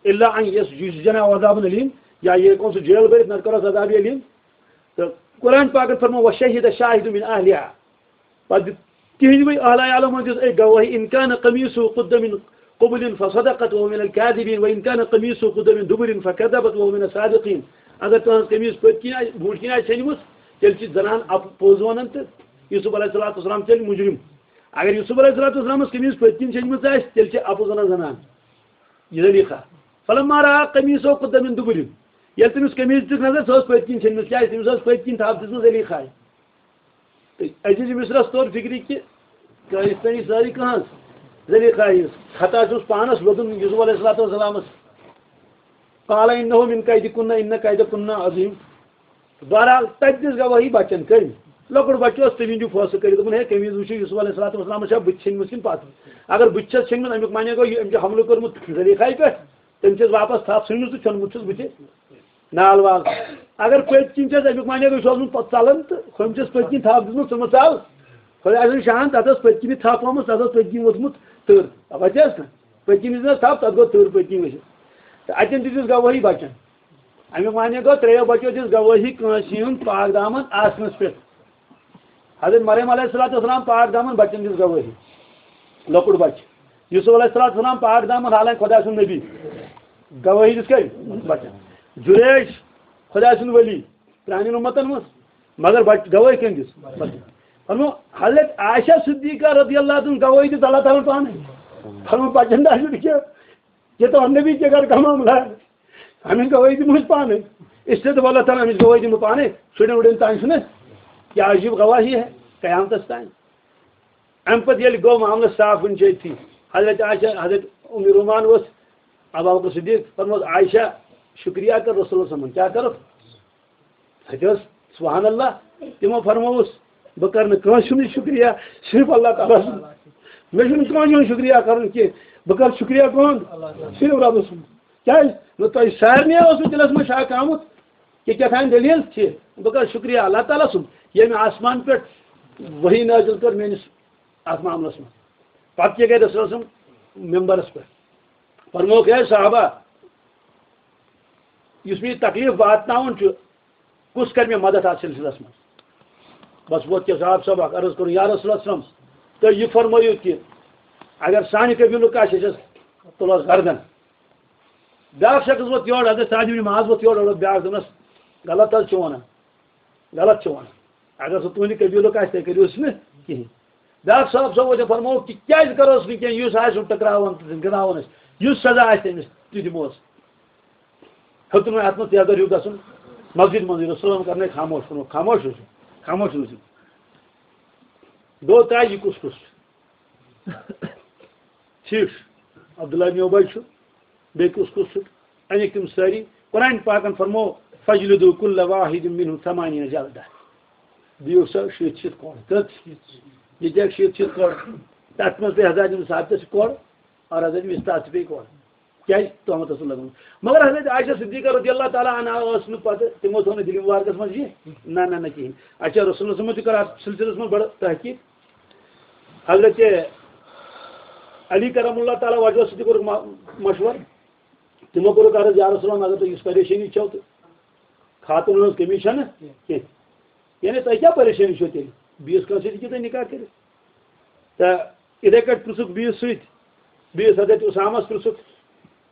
الا ان یس-، یسجن او عذابًا الیم، یا یہِ ہیٚکون سُہ جیل بٔرِتھ، نتہٕ کرس عذاب الیم۔ تہٕ قرآن پاکن فرمو، وشہد شاہد من اہلہا، پتہٕ دیُت تِہنٛدۍ وٲلۍ اہل عیالو منٛز دِژ أکۍ گواہی، ان کان قمیصہ قد من قبل فصدقت وهو من الكاذبین، وان کان قمیصہ قد من دبر فکذبت وهو من الصادقین۔ اگر تُہنٛز قمیٖض پٔتۍ کِنۍ آسہِ، برٛونٛٹھ کِنۍ آسہِ ژھیٚنمٕژ، تیٚلہِ چھِ زنان اپ-، پوٚز ونان تہٕ یوسف علیہ الصلوۃ والسلام تیٚلہِ مُجرِم۔ اگر یوسف علیہ الصلوۃ والسلامس قمیٖض پٔتۍ کِنۍ ژھیٚنمٕژ آسہِ، تیٚلہِ چھِ اپُز ونان زنان۔ یہِ زلیخا۔ فلما رأى قمیصہ قد من دبر۔ ییٚلہِ تٔمِس قمیٖض دِژٕکھ نظر، سۄ ٲس پٔتۍ کِنۍ ژھیٚنمٕژ۔ کیٛازِ؟ تٔمِس ٲس پٔتۍ کِنۍ تھپھ دِژمٕژ زلیخایہِ۔ تہٕ عزیز مصرس توٚر فِکرِ کہِ کٲنٛسہِ تانی سٲری کٕہٕنٛز زلیخا ہٕنٛز۔ خطا چھُس پانس ووٚدُن یوسف علیہ الصلوۃ والسلامس۔ قال انہ من کیدکن ان کیدکن عظیم۔ بہرحال، تتہِ دِژ گواہی بچن کٔمۍ؟ لۄکُٹ بچہٕ اوس، تٔمۍ دیُت فٲصلہٕ کٔرِتھ، دوٚپُن، ہے، قمیٖض وٕچھِو، یوسف علیہ الصلوۃ والسلام چھا بٕتھِ ژھیٚنمٕژ کِنہٕ پتہٕ؟ اگر بٕتھِ چھَس ژھیٚنمٕژ، اَمیُک معنی گوٚو، یہِ، أمۍ چھُ حملہٕ کوٚرمُت زلیخایہِ پٮ۪ٹھ، تٔمۍ چھَس واپس تھپھ ژھٕنمٕژ تہٕ ژھیوٚنمُت چھُس بٕتھِ نال وال۔ اگر پٔتۍ کِنۍ چھَس، اَمیُک معنی گوٚو، یہِ چھُ اوسمُت پتہٕ ژلان تہٕ ہُمۍ چھَس پٔتۍ کِنۍ تھپھ دِژمٕژ، ژٕ مہ ژل۔ خۄداے سُنٛد شان، تَتھ ٲس پٔتۍ کِنی تھپھ آمٕژ، تَتھ اوس پٔتۍ کِنۍ ووٚتھمُت تٕر۔ اَپٲرۍ تہِ ٲس نہ؟ پٔتۍ کِنۍ دِژ نہ تھپھ، تَتھ گوٚو تٕر پٔتۍ کِنۍ ؤسِتھ۔ تہٕ اَتٮ۪ن تہِ دِژ گوٲہی بَچَن۔ اَمیُک معنی گوٚو، ترٛیٚیو بَچو دِژ گوٲہی کٲنٛسہِ ہُنٛد پاک دامن آسنَس پٮ۪ٹھ۔ حضرت مریم علیہ الصلوۃ والسلام پاک دامن، بَچَن دِژ گوٲہی۔ لۄکُٹ بَچہٕ۔ یوسف علیہ الصلوۃ والسلام پاک دامن، حالانکہ خۄداے سُنٛد نبی۔ گوٲہی دِژ کٔمۍ؟ بَچَن۔ جُریج، خۄداے سُنٛد ؤلی، پرٛانٮ۪ن اُمتَن منٛز، مگر بَچہٕ گوٲہی کٔمۍ دِژ؟ بَچَن۔ فرمو، حضرت عائشہ صدیقہ رضی اللہ عنہا گوٲہی دِژ اللہ تعالیٰ ہَن پانَے۔ فرمو، بَچَن دَپہِ نہٕ کینٛہہ، یہ تو ہم نے بھی کیا گھر کا معاملہ ہے، ہمیں گواہی دی مجھ پانے، اس لیے تو اللہ تعالیٰ ہمیں گواہی دی پانے، چھوڑے اڑے تان سنے، کیا عجیب گواہی ہے قیامتس تان۔ امہِ پتہٕ ییٚلہِ گوٚو معاملہٕ صاف وٕنہِ چھِ أتھی، حضرت عائشہ، حضرت ام رومان اوس ابو بکر صدیق، فرموس، عائشہ، شکریہ کر رسول اللہ صلی اللہ علیہ وسلم۔ کیٛاہ کَرُکھ؟ اَتہِ اوس، سبحان اللہ، تِمو فرمووُس، بہٕ کَرٕ نہٕ کٲنٛسہِ ہُنٛد شُکریہ، صرف اللہ تعالیٰ سُنٛد۔ مےٚ چھُنہٕ کٲنٛسہِ ہُنٛد شُکریہ کَرُن کینٛہہ، بہٕ کَرٕ شُکریہ کٕہُنٛد؟ صرف رۄبہٕ سُنٛد۔ کیٛازِ؟ نہ تۄہہِ سارنٕے اوسوٕ دِلَس منٛز شک آمُت کہِ کیٛاہ تام دٔلیٖل چھِ، بہٕ کَرٕ شُکریہ اللہ تعالیٰ سُنٛد، ییٚمۍ آسمان پٮ۪ٹھ وحی نٲزِل کٔر میٛٲنِس اَتھ معاملَس منٛز۔ پَتہٕ کیٛاہ گٔے رسول سُنٛد ممبرَس پٮ۪ٹھ؟ فرمووُکھ، ہے صحابہ، یُس مےٚ یہِ تکلیٖف واتناوُن چھُ، کُس کرِ مےٚ مدد اَتھ سلسلس منٛز؟ بس ووت کیٛاہ صاحب صٲب اکھ عرض کوٚرُن، یا رسول اللہ صلی اللہ علیہ وسلم، تُہۍ یہِ فرمٲیِو کہِ اگر سانہِ قبیٖلُک آسہِ، أسۍ حظ تُلہوس گردن۔ بیٛاکھ شخص ووت یورٕ، حضرت سعد ابن معاذ ووت یورٕ، اوٚڑ بیٛاکھ دوٚپنس، غلط حظ چھُ وَنان، غلط چھُ وَنان۔ اگر سُہ تُہنٛدِ قبیٖلُک آسہِ، تیٚلہِ کٔرِو أسۍ نہٕ کِہیٖنۍ۔ بیٛاکھ صاحب صٲب وۄنۍ فرمووُکھ کہِ کیٛازِ کَرو أسۍ نہٕ کینٛہہ، یُس آسہِ گِنٛدناوُن أسۍ، یُس سزا آسہِ تٔمِس، تہِ دِموس۔ ہیوٚتُن وۄنۍ اَتھ منٛز تیزر ہیوٗ گژھُن، مسجد منٛزٕے رسول کرنے خاموش، ووٚنُکھ، خاموش روٗزِو، خاموش روٗزِو۔ گوٚو طے یہِ کُس کُس چھُ۔ ٹھیٖک چھُ، عبداللہ ابن اُبی چھُ، بیٚیہِ کُس کُس چھُ؟ اَنِکھ تِم سٲری۔ قرآن پاکن فرمو، فجلدو کل واحد منہم ثمانین جلدہ۔ دِیِو سا شیٖتھ شیٖتھ کوڑ۔ کٔژ؟ ییٚتہِ آسہِ شیٖتھ شیٖتھ کوڑ۔ تَتھ منٛز پیٚیہِ حضرت ابن ثابتس تہِ کوڑ اور حضرت مِستاحس تہِ پیٚیہِ کوڑ۔ کیٛازِ؟ تُہمتس اوس لگومُت۔ مگر حضرت عائشہ صدیقہ رضی اللہ تعالیٰ عنہا ٲس نہٕ پتہٕ، تِمو تھوٚو نہٕ دِلہِ مُبارکس منٛز یہِ، نہ، نہ، نہ، کِہیٖنۍ۔ اچھا، رسول صلی اللہ علیہ وسلم تہِ کٔر اَتھ سلسلس منٛز بڑٕ تحقیٖق۔ حضرت علی کرم اللہ تعالیٰ وجہہ سۭتۍ تہِ کوٚرُکھ ما-، مشورٕ۔ تِمو کوٚرُکھ عرض، یا رسول اللہ، اگر تۄہہِ یُس پریشٲنی چھو تہٕ خاتوٗنن ہٕنٛز کٔمی چھَنہٕ کینٛہہ۔ یعنی تۄہہِ کیٛاہ پریشٲنی چھو تیٚلہِ؟ بیٚیِس کٲنٛسہِ سۭتۍ ہیٚکِو تُہۍ نکاح کٔرِتھ۔ تہٕ یِتھَے کٲٹھۍ پرٛژھُکھ بیٚیِس سۭتۍ، بیٚیِس حضرت اُسامس پرٛژھُکھ،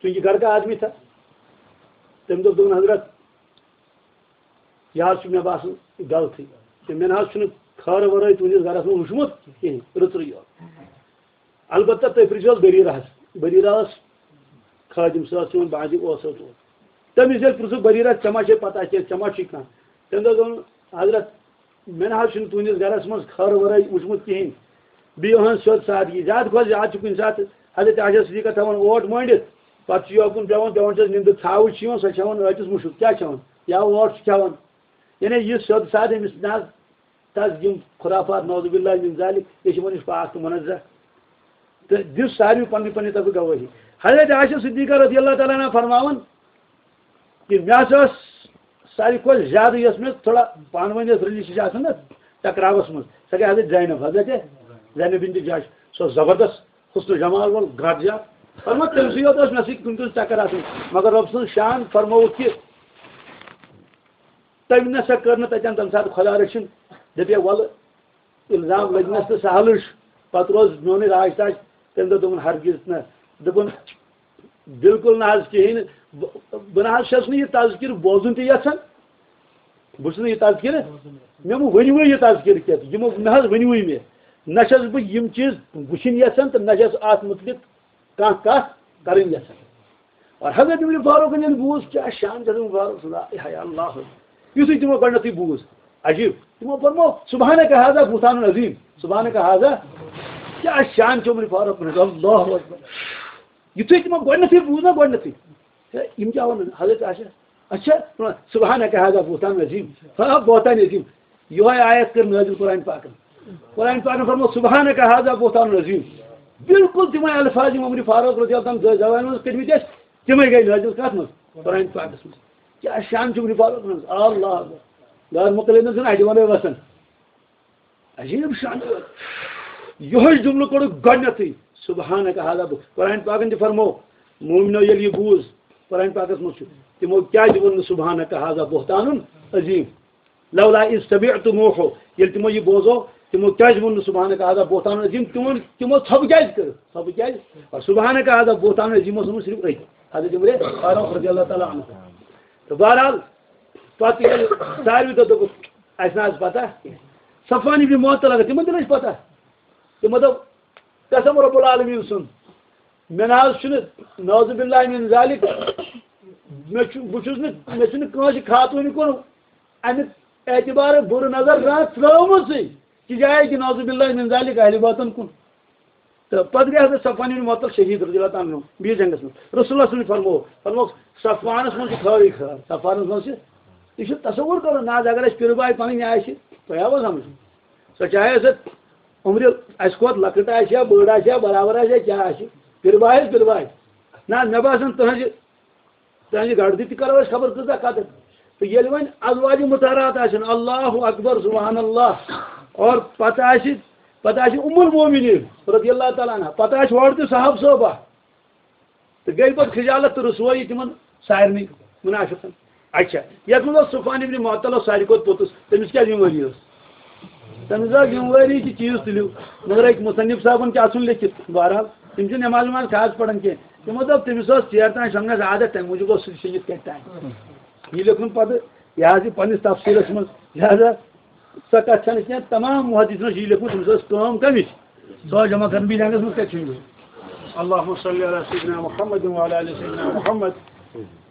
چوٗنٛکہِ گرٕ کا آدمی تھا، تٔمۍ دوٚپ، دوٚپُن، حضرت، یہِ حظ چھُ مےٚ باسان غلطٕے۔ تہٕ مےٚ نہ حظ چھُنہٕ خٲرٕ ورٲے تُہٕنٛدِس گرس منٛز وُچھمُت کِہیٖنۍ، رٕژرٕے یوت۔ البتہ تُہۍ پرٛژھِو حظ بریٖرہ ہس۔ بریٖرہ ٲس خٲدِم، سۄ ٲس یِوان بعضی اوس سۭتۍ اوس۔ تٔمِس ییٚلہِ پرٛژھُکھ، بریٖرہ، ژےٚ ما چھے پتہ کینٛہہ، ژےٚ ما چھُے کانٛہہ؟ تٔمۍ دوٚپ، دوٚپُن، حضرت، مےٚ نہ حظ چھُنہٕ تُہٕنٛدِس گرس منٛز خٲرٕ ورٲے وُچھمُت کِہیٖنۍ۔ بیٚیہِ یِہٕنٛز سیوٚد سادگی، زیادٕ کھۄتہٕ زیادٕ چھُ کُنہِ ساتہٕ حضرت عائشہ صدیقہ تھاوان اوٹ مٲنڈِتھ، پتہٕ چھُ یوکُن پٮ۪وان، پٮ۪وان چھَس نِندٕر، ژھاوٕج چھِ یِوان، سۄ چھِ ہٮ۪وان ٲٹِس مُشُک، کیٛاہ چھِ ہٮ۪وان؟ یا اوٹ چھِ کھٮ۪وان۔ یعنی یہِ سیوٚد سادٕ أمِس نہ حظ، تَس یِم خرافات، نعوذ باللہ من ذالک، یہِ چھِ وۄنۍ نِش پاک تہٕ منزہ۔ تہٕ دِژ ساروی پنٕنہِ پنٕنہِ طرفہٕ گوٲہی۔ حضرت عائشہ صدیقہ رضی اللہ تعالیٰ عنہا فرماوان، کہ مےٚ ہسا ٲس ساروی کھۄتہٕ زیادٕ یۄس مےٚ تھوڑا پانہٕ ؤنۍ ٲس رٔلِتھ چھِ آسان نہ، ٹکراوس منٛز، سۄ گٔے حضرت زینب، حضرت زینب بنت جحش، سۄ ٲس زبردست حسن و جمال وول، گٹ جا۔ فرمو، تٔمۍ سٕے یوت ٲس مےٚ سۭتۍ کُنہِ کُنہِ چکر آسان، مگر رۄب سٕنٛز شان فرمووُکھ کہِ تٔمۍ نہ سا کٔر نہٕ تَتٮ۪ن تَمہِ ساتہٕ خۄدا رٔچھِن، دَپے، وَلہٕ، الزام لٔگنَس تہٕ سہلٕے چھُ۔ پتہٕ روز میونٕے راج تاج۔ تٔمۍ دوٚپ، دوٚپُن، ہرگز نہٕ۔ دوٚپُن، بالکل نہ حظ کِہیٖنۍ نہٕ۔ بہٕ، بہٕ نہ حظ چھَس نہٕ یہِ تذکرٕ بوزُن تہِ یَژھان۔ بہٕ چھُس نہٕ یہِ تذکرٕ، مےٚ مہٕ ؤنِوٕے یہِ تذکرٕ کینٛہہ۔ یِمو نہ حظ ؤنِوٕے مےٚ۔ نہ چھَس بہٕ یِم چیٖز وٕچھِنۍ یَژھان تہٕ نہ چھَس اَتھ مُتعلِق کانٛہہ کَتھ کَرٕنۍ یَژھان۔ اور حضرت عمر فاروق ییٚلہِ بوٗز، کیٛاہ شان چھُ حضرت عمر فاروق سُنٛد، ہاے اللہ۔ یُتھُے تِمو گۄڈٕنیتھٕے بوٗز، عجیٖب۔ تِمو فرمو، سبحانک ہذا بہتان عظیم، سبحانک ہذا، کیٛاہ شان چھُ عمر فاروق سُنٛد، اللہ اکبر۔ یُتھُے تِمو گۄڈٕنیتھٕے بوٗز نا گۄڈٕنیتھٕے، ہے، یِم کیٛاہ وَنان؟ حضرت عائشہ، اچھا، سبحانک ہذا بہتان عظیم، ہاں، بہتان عظیم۔ یِہوٚے آیت کٔر نٲزِل قرآن پاکن۔ قرآن پاکن فرموو، "سبحانک ھذا بہتان عظیم۔" بالکل تِمے الفاظ یِم عمر فاروق رضی اللہ عنہ زبانہِ منٛز کٔرمٕتۍ ٲسۍ، تِمے گٔے نٲزِل کتھ منٛز؟ قرآن پاکس منٛز۔ کیٛاہ شان چھُ عمر فاروق منٛز؟ اللہ اکبر۔ غٲر مقلد نہٕ چھُنہٕ اَتہِ وَنٕے وَسان۔ عجیٖب شان۔ یِہوٚے جملہٕ کوٚڑُکھ گۄڈٕنیتھٕے، "سبحانک ھذا بہت۔" قرآن پاکن تہِ فرموو، مومنو ییٚلہِ یہِ بوٗز، قرآن پاکس منٛز چھُ، تِمو کیٛازِ ووٚن نہٕ "سبحانک ھذا بہتان عظیم"؟ "لولا اذ سمعتموہ"، ییٚلہِ تِمو یہِ بوزو، تِمو کیٛازِ ووٚن نہٕ "سبحانک ھذا بہتان عظیم"؟ تِمو، تِمو ژھۄپہٕ کیٛازِ کٔر؟ ژھۄپہٕ کیٛازِ؟ اور "سبحانک ھذا بہتان عظیم" اوس ووٚنمُت صرف أتۍ، حضرت عمر فاروق رضی اللہ تعالیٰ عنہ۔ تہٕ بہرحال، پتہٕ ییٚلہِ ساروی دۄہ دوٚپُکھ، "اَسہِ نہ حظ پتہ کینٛہہ۔" صفوان ابن معطل، اگر تِمن تہِ نہ ٲس پتہ، تِمو دوٚپ، "قسم رب العالمین سُنٛد، مےٚ نہ حظ چھُنہٕ، نعوذ باللہ من ذالک، مےٚ چھُ، بہٕ چھُس نہٕ، مےٚ چھُنہٕ کٲنٛسہِ خاتوٗنہِ کُن اَمہِ اعتبارٕ بُرٕ نظر زانٛہہ ترٛٲومٕژٕے، تہِ جایہِ کہِ نعوذ باللہ من ذالک اہلِ باطن کُن۔" تہٕ پتہٕ گٔے حضرت صفوان بن معطل شہید رضی اللہ تعالیٰ عنہ بیٚیِس جنگس منٛز۔ رسول اللہ صلی اللہ علیہ وسلم فرموو، فرمووُکھ، "صفوانس منٛز چھِ خٲرٕے خٲر، صفوانس منٛز چھِ۔" یہِ چھُ تصور کرُن، نہ حظ اگر اَسہِ پِرٕ باے پنٕنۍ آسہِ، تۄہہِ آوا سمجھ؟ سۄ چاہے سۄ عمرِ اَسہِ کھۄتہٕ لۄکٕٹ آسہِ یا بٔڑ آسہِ یا برابر آسہِ یا کیٛاہ آسہِ، پِرٕ باے حظ پِرٕ باے۔ نہ حظ، مےٚ باسان تُہنٛزِ تہنٛزِ گردِ تہِ کرو أسۍ خبر کۭژاہ قدر۔ تہٕ ییٚلہِ وۄنۍ ازواج مطہرات آسن، اللہ اکبر، سبحان اللہ، اور پتہٕ آسہِ، پتہٕ آسہِ ام المومنین رضی اللہ تعالیٰ عنہ، پتہٕ آسہِ ہورٕ تہِ صاحب صٲبہ، تہٕ گٔے پتہٕ خجالت تہٕ رسوٲیی تِمن سارنٕے منافقن۔ اچھا، یتھ منٛز اوس صفوان ابن معطل اوس ساروی کھۄتہٕ پوٚتُس، تٔمِس کیٛاہ ذمہٕ وٲری ٲس؟ تٔمِس ٲس ذمہٕ وٲری کہِ چیٖز تُلِو، مگر أکۍ مصنف صٲبن کیٛاہ ژھُن لیکھِتھ؟ بہرحال، تِم چھِ نٮ۪ماز وٮ۪ماز خاص پران کینٛہہ۔ تِمو دوٚپ، تٔمِس ٲس ژیر تام شۄنٛگنَس عادت، تَمہِ موٗجوٗب اوس سُہ شیٚنگِتھ کَتہِ تام۔ یہِ لیوٚکھُن پَتہٕ، یہِ حظ یہِ پنٛنِس تفسیٖرَس منٛز، لہذا سۄ کَتھ چھَنہٕ کینٛہہ، تمام محدثینو چھُ یہِ لیوٚکھمُت، تٔمِس ٲس کٲم کَمِچ؟ سۄ ٲس جمع کَرٕنۍ بیٚیہِ رنٛگَس منٛز کَتہِ چھُ یہِ؟ اللہم صلی علی سیدنا محمد وعلی آل سیدنا محمد۔